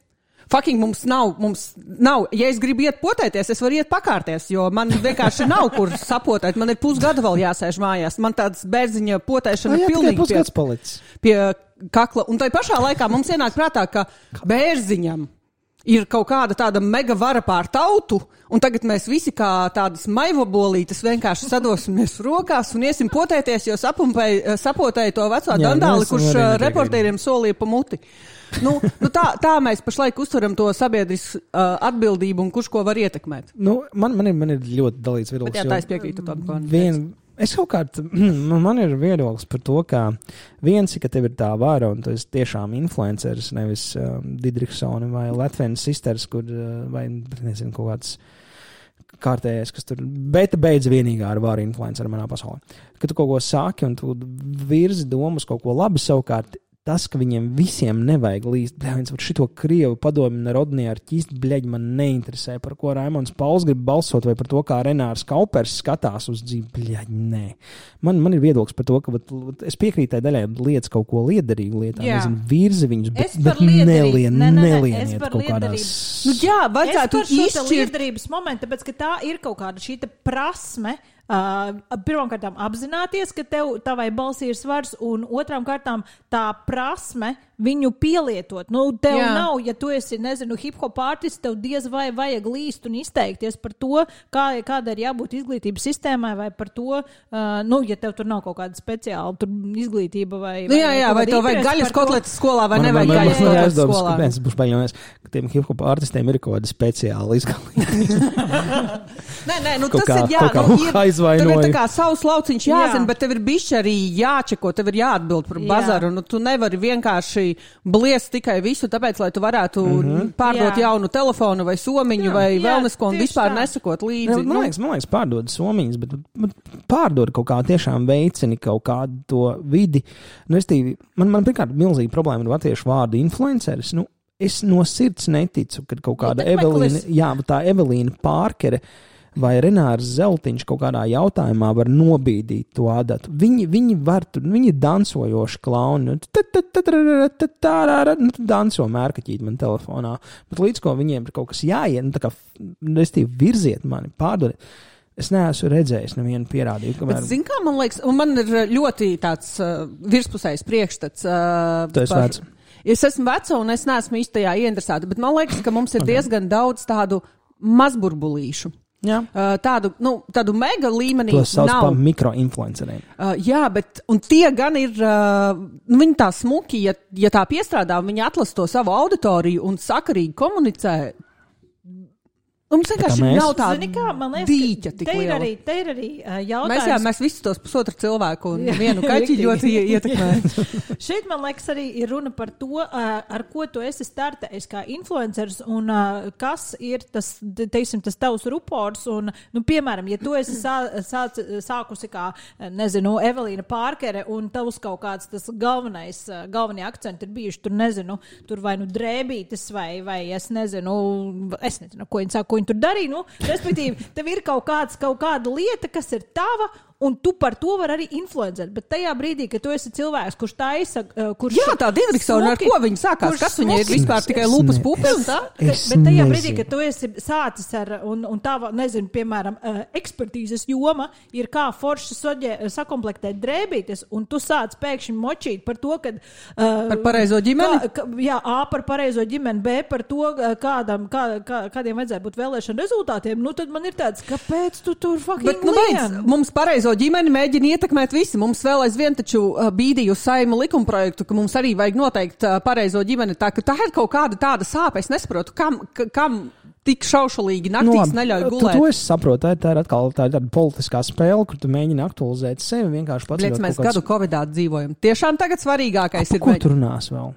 Fucking mums nav, mums nav. Ja es gribu iet potēties, es varu iet pakārties, jo man vienkārši nav, kur sapotēt. Man ir pusgada vēl jāsēž mājās. Man tāds bērziņa potēšana jā, pilnīgi pie, pie kakla. Un tai pašā laikā mums ienāk prātā, ka bērziņam ir kaut kāda tāda mega vara pār tautu, un tagad mēs visi kā tādas maivabolītes vienkārši sadosimies rokās un iesim potēties, jo sapotēja to veco dandāli, kurš reportieriem solīja pa muti. Nu, nu tā, tā mēs pašlaik uztveram to sabiedrisku uh, atbildību un kurš ko var ietekmēt. Nu, man, man, ir, man ir ļoti dalīts viedoklis. Bet jā, tā es piekrītu tādu vien, es kaut kārt, man ir viedoklis par to, ka viens ir, ka tev ir tā vara un tu esi tiešām influenceris, nevis um, Didriksoni vai Latvijas sisters, kur, uh, vai, nezinu, kaut kāds kārtējais, kas tur, bet beidz vienīgā ar vāru influenceru manā pasaulē. Kad tu kaut ko sāki un tu virzi domas kaut ko labi savukārt, tas, ka viņiem visiem nevajag līst, bļā, viens var šito Krievu padomi narodnī ar ķist, bļaļ, man neinteresē, par ko Raimons Pauls grib balsot, vai par to, kā Renārs Kaupers skatās uz dzīvi, bļaļ, nē. Man, man ir viedoklis par to, ka vat, es piekrītai daļai lietas kaut ko liederīgu lietā, nezinu, virzi viņus, bet, bet nelien, ne, ne, ne, nelieniet kaut kādās. Nu jā, vajadzētu izšķirt. Es par šo liederības momentu, tāpēc, ka tā ir kaut kāda šī prasme, Uh, pirmām kārtām apzināties, ka tev tavai balsī ir svars, un otrām kārtām tā prasme viņu pielietot. Nu, tev Jā. Nav, ja tu esi, nezinu, hip-hop artists, tev diez vai vajag līst un izteikties par to, kā, kāda ir jābūt izglītības sistēmai, vai par to, uh, nu, ja tev tur nav kaut kāda speciāla tur izglītība vai... Nu, jā, jā, vai tev vajag gaļas kotletes skolā, vai man, nevajag man, gaļas kotletes skolā. Kāpēc es būšu baļņojies, ka tiem hip-hop artistiem ir kaut kāda speciāla izglītība. Nē, nē, nu tas kā, ir jā, nu, ir, tev ir tā kā savs lauciņš jāzina, jā. Bet tev ir bišķi arī jāčeko, tev ir jāatbild par bazaru, un tu nevari vienkārši bliest tikai visu, tāpēc, lai tu varētu mm-hmm. pārdot jā. Jaunu telefonu vai somiņu jā, vai vēlnesko un vispār tā. Nesakot līdzi. Jā, man liekas, man liekas pārdod somiņas, bet, bet pārdod kaut kā tiešām veicini kaut kādu to vidi. Nu, es tīvi, man, man pirmkārt milzīga problēma ar latviešu vārdu influenceris, nu, es no sirds neticu, kad kaut kāda Evelīna, jā, tā Evelīna Pārkere vai Renārs Zeltiņš kaut kādā jautājumā var nobīdīt to adatu. Viņi, viņi var tur, viņi ir dansojoši klauni. Nu, danso mērkaķīt man telefonā. Bet līdz ko viņiem ir kaut kas jāiet, nu tā kā, restīvi, virziet mani, pārdodiet. Es neesmu redzējis nevienu pierādījumu. Kamēr... Bet, zin kā, man liekas, un man ir ļoti tāds uh, virspusējs priekšstats. Uh, tu esi vecs. Es esmu veca un es neesmu īstajā ieinteresēta, bet man liekas, ka mums ir diezgan daudz tādu mazburbulīšu. Jā. Uh, tādu, nu, tādu mega līmenī. To sauc nav. par mikroinfluenceriem. Uh, jā, bet un tie gan ir, uh, nu, viņi tā smuki, ja, ja tā piestrādā, viņi atlasa to savu auditoriju un sakarīgi komunicē. Mums vienkārši mēs? nav tāda Zini kā, man liekas, dīķa ka tik te ir liela. arī, te ir arī uh, jautājums. Mēs, jā, mēs visi tos pusotru cilvēku un Jā, vienu kaķi riktīgi. ļoti ie- ietekmē. Šeit, man liekas, arī ir runa par to, uh, ar ko tu esi startējis kā influenceris un uh, kas ir tas, te- teiksim, tas tavs rupors. Un, nu, piemēram, ja tu esi sā, sāc, sākusi kā, nezinu, Evelīna Pārkere un tavs kaut kāds tas galvenais, uh, galvenie akcenti ir bijuši tur, nezinu, tur vai nu drēbītes vai, vai es nezinu, es nezinu, ko viņi saka, ko viņi tur darīja, nu, respektīvi, tev ir kaut kāds, kaut kāda lieta, kas ir tava, un tu par to vari arī influencēt. Bet tajā brīdī, kad tu esi cilvēks, kurš taisa, uh, kurš... Jā, tā Didriksona, ar ko viņa sākās? kurš Kas viņa ir smuki- vispār tikai Es lūpas ne- pupas? es- tā? Bet, Es bet tajā nezinu. brīdī, kad tu esi sācis ar, un, un tava, nezinu, piemēram, uh, ekspertīzes joma ir kā forši soģē, sakomplektēt drēbītes, un tu sāc pēkšņi močīt par to, kad... Uh, Par pareizo ģimeni? Kā, kā, jā, A par pareizo ģimeni, B par to, uh, kādam, kā, kā, kādiem vajadzētu būt vēlēšana rezultātiem. Nu, tad man ir tāds, kāpēc tu tur fucking Bet, nu, beidz, mums pareizo ģimeni mēģina ietekmēt visi. Mums vēl aizvien taču uh, bīdīja uz Saeimu likumprojektu, ka mums arī vajag noteikt uh, pareizo ģimeni. Tā, ka tā ir kaut kāda tāda sāpe. Es nesaprotu, kam, ka, kam tik šaušalīgi naktīs labi, neļauj tu- gulēt. To es saprotu. Tā, tā ir atkal tā ir tāda politiskā spēle, kur tu mēģini aktualizēt sevi vienkārši pats. Liec, mēs gadu Covidā dzīvojam. Tiešām tagad svarīgākais ir... Ko mēģ- tu runās vēl?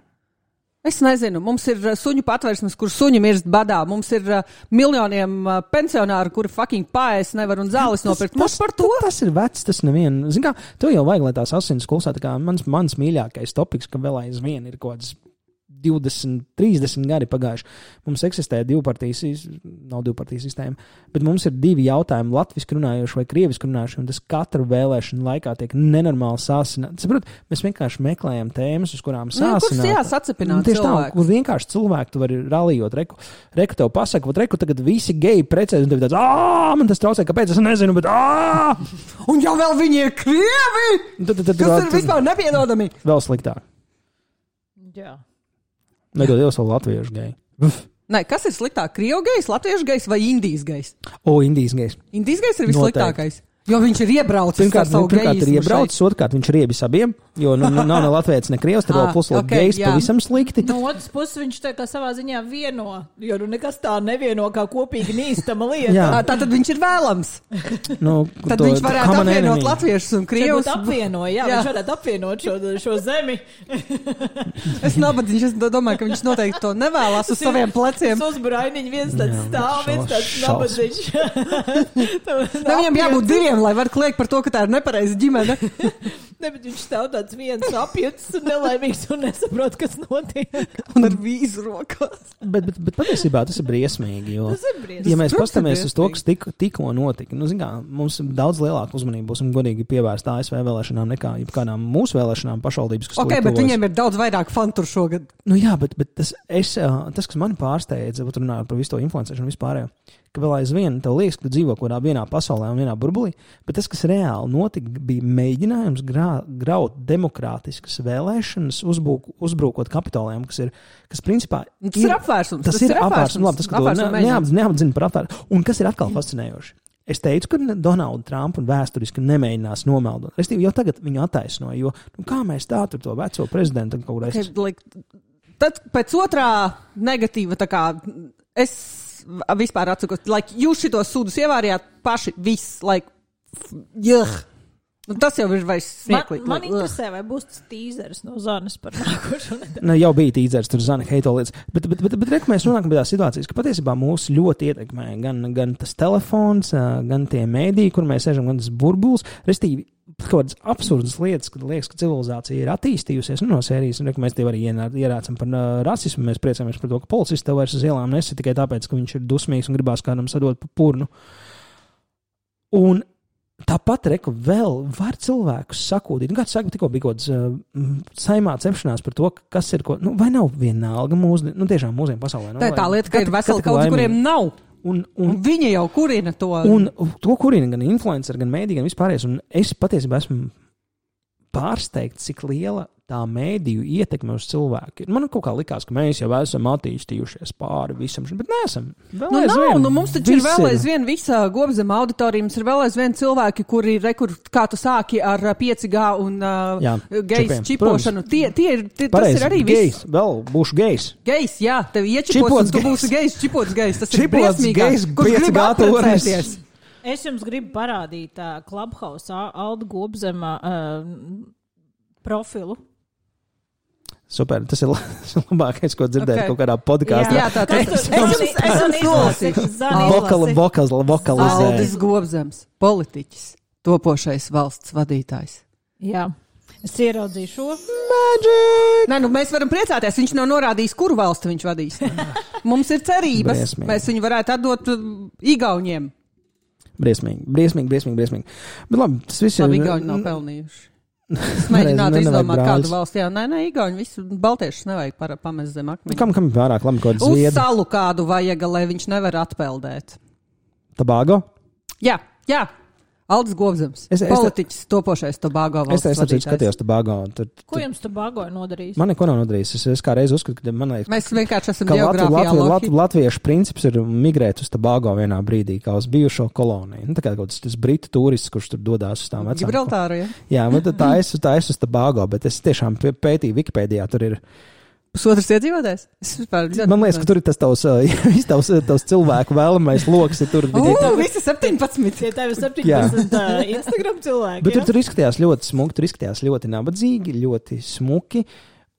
Es nezinu, mums ir uh, suņu patvērsmes, kur suņi mirst badā. Mums ir uh, miljoniem uh, pensionāru, kuri fucking paēst nevar un zāles nopirkt. Mums par to? Tas ir vecs, tas nevienu. Zin kā, tev jau vajag, lai tās asins klusā, tā kā mans, mans mīļākais topiks, ka vēl aizvien ir kaut kāds divdesmit, trīsdesmit gadi pagājuši. Mums eksistē divpartijas, sis- nav divpartijas sistēma, bet mums ir divi jautājumi, latviski runājoši vai krieviski runājoši, un tas katru vēlēšanu laikā tiek nenormāli sāsināts. Saprot, mēs vienkārši meklējam tēmas, uz kurām Nu, kurš sāsināt. jā, sacepināt Tieši tā, cilvēkus. kur vienkārši cilvēku tu vari ralījot. Reku, reku tev pasaka, vat reku tagad visi geji precēs, un tev tāds, ā, man tas traucē, kāpēc es nezinu, bet ā! Un jau vēl viņi ir krievi! Tad, tad, tad, Kas ir vispār nepiedodami? vēl sliktāk. Jā. Nedod Dievs vēl latviešu geju. Uf. Nē, kas ir sliktāk? Krievu gejs, latviešu gejs vai indijas gejs? O, Indijas gejs. Indijas gejs ir Noteikti. vissliktākais. Jo viņš ir iebraucis Pirmkārt, ar savu pirmkārt ir gejismu iebraucis, otrkārt viņš ir riebis abiem, jo nu, nu, nav ne latvietis, ne krievs, tur vēl Ah, plus vēl ok, gejs jā. pavisam slikti. No otras puses, viņš tā kā savā ziņā vieno, jo nu nekas tā nevieno kā kopīgi nīstama lieta. Jā. šeit. Tātad viņš ir vēlams. Nu, Tad to- viņš varētu common apvienot enemy. latviešus un Krievs krievus. apvienoja, jā, Jā. jā, viņš varētu apvienot šo, šo zemi. Es nabadzīgs, es domāju, ka viņš noteikti to nevēlas uz saviem pleciem. Tas uzbrainiņi viens tāds Jā, stāv, viens šaus- tāds šausmas. nabadzīgs. Ne, viņam jābūt diviem, lai var kliegt par to, ka tā ir nepareiza ģimene. Ne, bet viņš stāv tāds viens apjuts un nelaimīgs un nesaprot, kas notiek. Un ar vīzu rokās. Bet, bet, bet patiesībā tas ir briesmīgi, jo, Tas ir briesmīgi. ja mēs Protams, ir paskatāmies uz to, briesmīgi. kas tik, tikko notika, nu, zin kā, mums daudz lielāka uzmanība būs un godīgi pievērsta A S V vēlēšanām nekā jebkādām mūsu vēlēšanām pašvaldības, kas Ok, tūlīt bet tuvojas. viņiem ir daudz vairāk fanu tur šogad. Nu jā, bet, bet tas, es, ā, tas, kas mani pārsteidza, būt runājot par visu to influencēšanu vispārējo, ka vēl aizvien tev liekas, ka tu dzīvo kaut kādā vienā pasaulē un vienā burbulī, bet tas, kas reāli notika, bija mēģinājums grā, graut demokrātiskas vēlēšanas, uzbruk, uzbrukot Kapitolijam, kas ir, kas principā Tas ir apvērsums. Tas, tas ir apvērsums, labi, tas, ka to Apvērsuma ne, neapz, neapzina par apvērsumu. Un kas ir atkal fascinējoši? Es teicu, ka Donaldu Trumpu vēsturiski nemēģinās nomeldot. Restīvi, jau tagad viņu attaisnoja, jo nu, kā mēs tā tur to veco prezidentu kaut Okay, reiz. like, tad pēc otrā negatīva, tā kā es vispār atsakos, like, jūs šitos sūdus ievārījāt paši, viss, like, juh. Nu, tas jau ir vairs Man, smieklīgi. man like, interesē, vai būs tas tīzers no Zanes par nākošo nedēļu. Ne, jau bija tīzers, tur zina heito lietas. Bet, bet, bet, bet reku mēs nonākam pie tās situācijas, ka patiesībā mūs ļoti ietekmē gan, gan tas telefons, ā, gan tie mēdīji, kur mēs sēžam, gan tas burbulis. Restīvi, kaut kādas absurdas lietas, kad liekas, ka civilizācija ir attīstījusies, nu, no sērijas, un reku mēs tev arī ienā- ierācam par uh, rasismu. Mēs priecājamies par to, ka policists tev vairs uz ielām nesit tikai tāpēc, ka viņš ir dusmīgs un gribās kādam sadot pa purnu. Un tāpat, reku, vēl var cilvēkus sakūdīt. Nu, kāds saka, tikko bija kaut kāds uh, saimā cepšanās par to, kas ir, ko, nu, vai nav vienalga mūsdienu, nu, tiešām mūsdienu pasaulē. Nu, tā ir tā vai- lieta, ka ir kat- veseli kat- kaut laimīgi. kuriem nav. Un, Un un, viņi jau kurina to. un to kurina gan influenceri, gan mēdī, gan vispārējais. Un es patiesībā esmu pārsteigts, cik liela tā mēdīju ietekme uz cilvēku. Man kaut kā likās, ka mēs jau esam attīstījušies pāri visam, bet neesam. Nu, nav, nu, mums taču ir vēl aizvien visa Gobzema auditorija, mums ir vēl aizvien cilvēki, kuri, rekur, kā tu sāki ar pieci G un uh, jā, gejs čipošanu. Tie, tie ir, tie, tas ir arī viss. Gejs, vēl būšu gejs. Gejs, jā, tev iečipos un tu būsi gejs, čipots gejs. Tas čipots ir briesmīgāk, kurš grib apprecēties. Es jums gribu parādīt uh, Clubhouse Alda Gobzema uh, profilu. Super, tas ir labākais, ko dzirdēt okay. kaut kādā podkāstā. Jā, tā tas ir. Es un izlasīšu. Vokalizē. Aldis Gobzems, politiķis, topošais valsts vadītājs. Jā, es ieraudzīju šo. Magic! Nē, nu mēs varam priecāties, viņš nav norādījis, kuru valsti viņš vadīs. Mums ir cerības, briesmīgi. Mēs viņu varētu atdot Igauņiem. Briesmīgi, briesmīgi, briesmīgi, briesmīgi. Bet labi, tas viss ir. Labi, Igauņi nav pelnījuši. Es mēģinātu izdomāt kādu valsti. Jā, nē, nē, Igauņi visu baltiešus nevajag par, pamest zem akmeņa. Kam, kam pārāk labi kaut kāds zviedri? Uz salu kādu vajag, lai viņš nevar atpeldēt. Tobago? Jā, jā. Aldis Gobzems, es, es, politiķis, topošais Tobago valsts vadītājs. Es, es skatījos Tobago. Tur, tur, ko jums Tobago ir nodarījis? Man neko nav nodarījis. Es, es kā reiz uzskatu, ka man liekas, mēs vienkārši esam ka geogrāfijā Latvi, Latvi, Latviešu princips ir migrēt uz Tobago vienā brīdī, kā uz bijušo koloniju. Nu, tā kā kaut tas britu turists, kurš tur dodās uz tām vecām. Gibraltāru, jā. Jā, bet tā es, tā es uz Tobago, bet es tiešām pētīju Wikipēdijā, tur ir pusotrs iedzīvotājs? Man liekas, ka tur ir tas tavs, tavs, tavs cilvēku vēlamais loks. Tur Ugh, visi septiņpadsmit. Ja tev ir septiņpadsmit uh, Instagram cilvēki. Bet tur, tur izskatījās ļoti smuki, tur izskatījās ļoti nabadzīgi, ļoti smuki.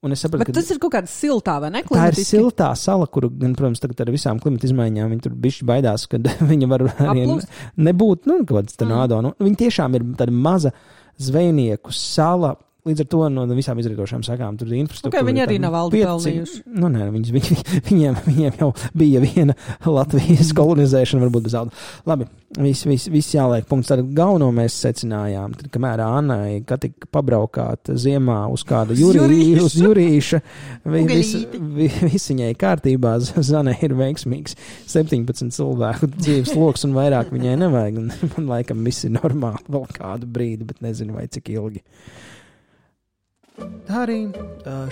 Un es sapratu, bet tas ir kaut kāda siltā, vai ne? Tā ir siltā sala, kuru, gan, protams, tagad ar visām klimata izmaiņām viņi tur bišķi baidās, kad viņa var arī nebūt, nu, kaut kāds tornado. Nu, viņi tiešām ir tāda maza zvejnieku sala. Līdz ar to no visām izrīkošām sakām tur ir infrastruktūra. Okay, viņi arī nav valdi pelnījuši. Nu, nē, viņi, viņi, viņiem, viņiem jau bija viena Latvijas kolonizēšana, varbūt bez alda. Labi, viss vis, vis jāliek punkts. Tad galveno mēs secinājām, tad, kamēr Annai, ka tika pabraukāt ziemā uz kādu jurī, uz jurīša, vi, vis, vi, viss viņai kārtībā, Zanai ir veiksmīgs septiņpadsmit cilvēku dzīves loks un vairāk viņai nevajag. Un man laikam viss ir normāli vēl kādu brīdi, bet nezinu vai cik ilgi. Tā arī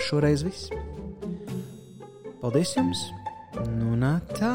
šoreiz viss. Paldies jums! Nu, nā tā!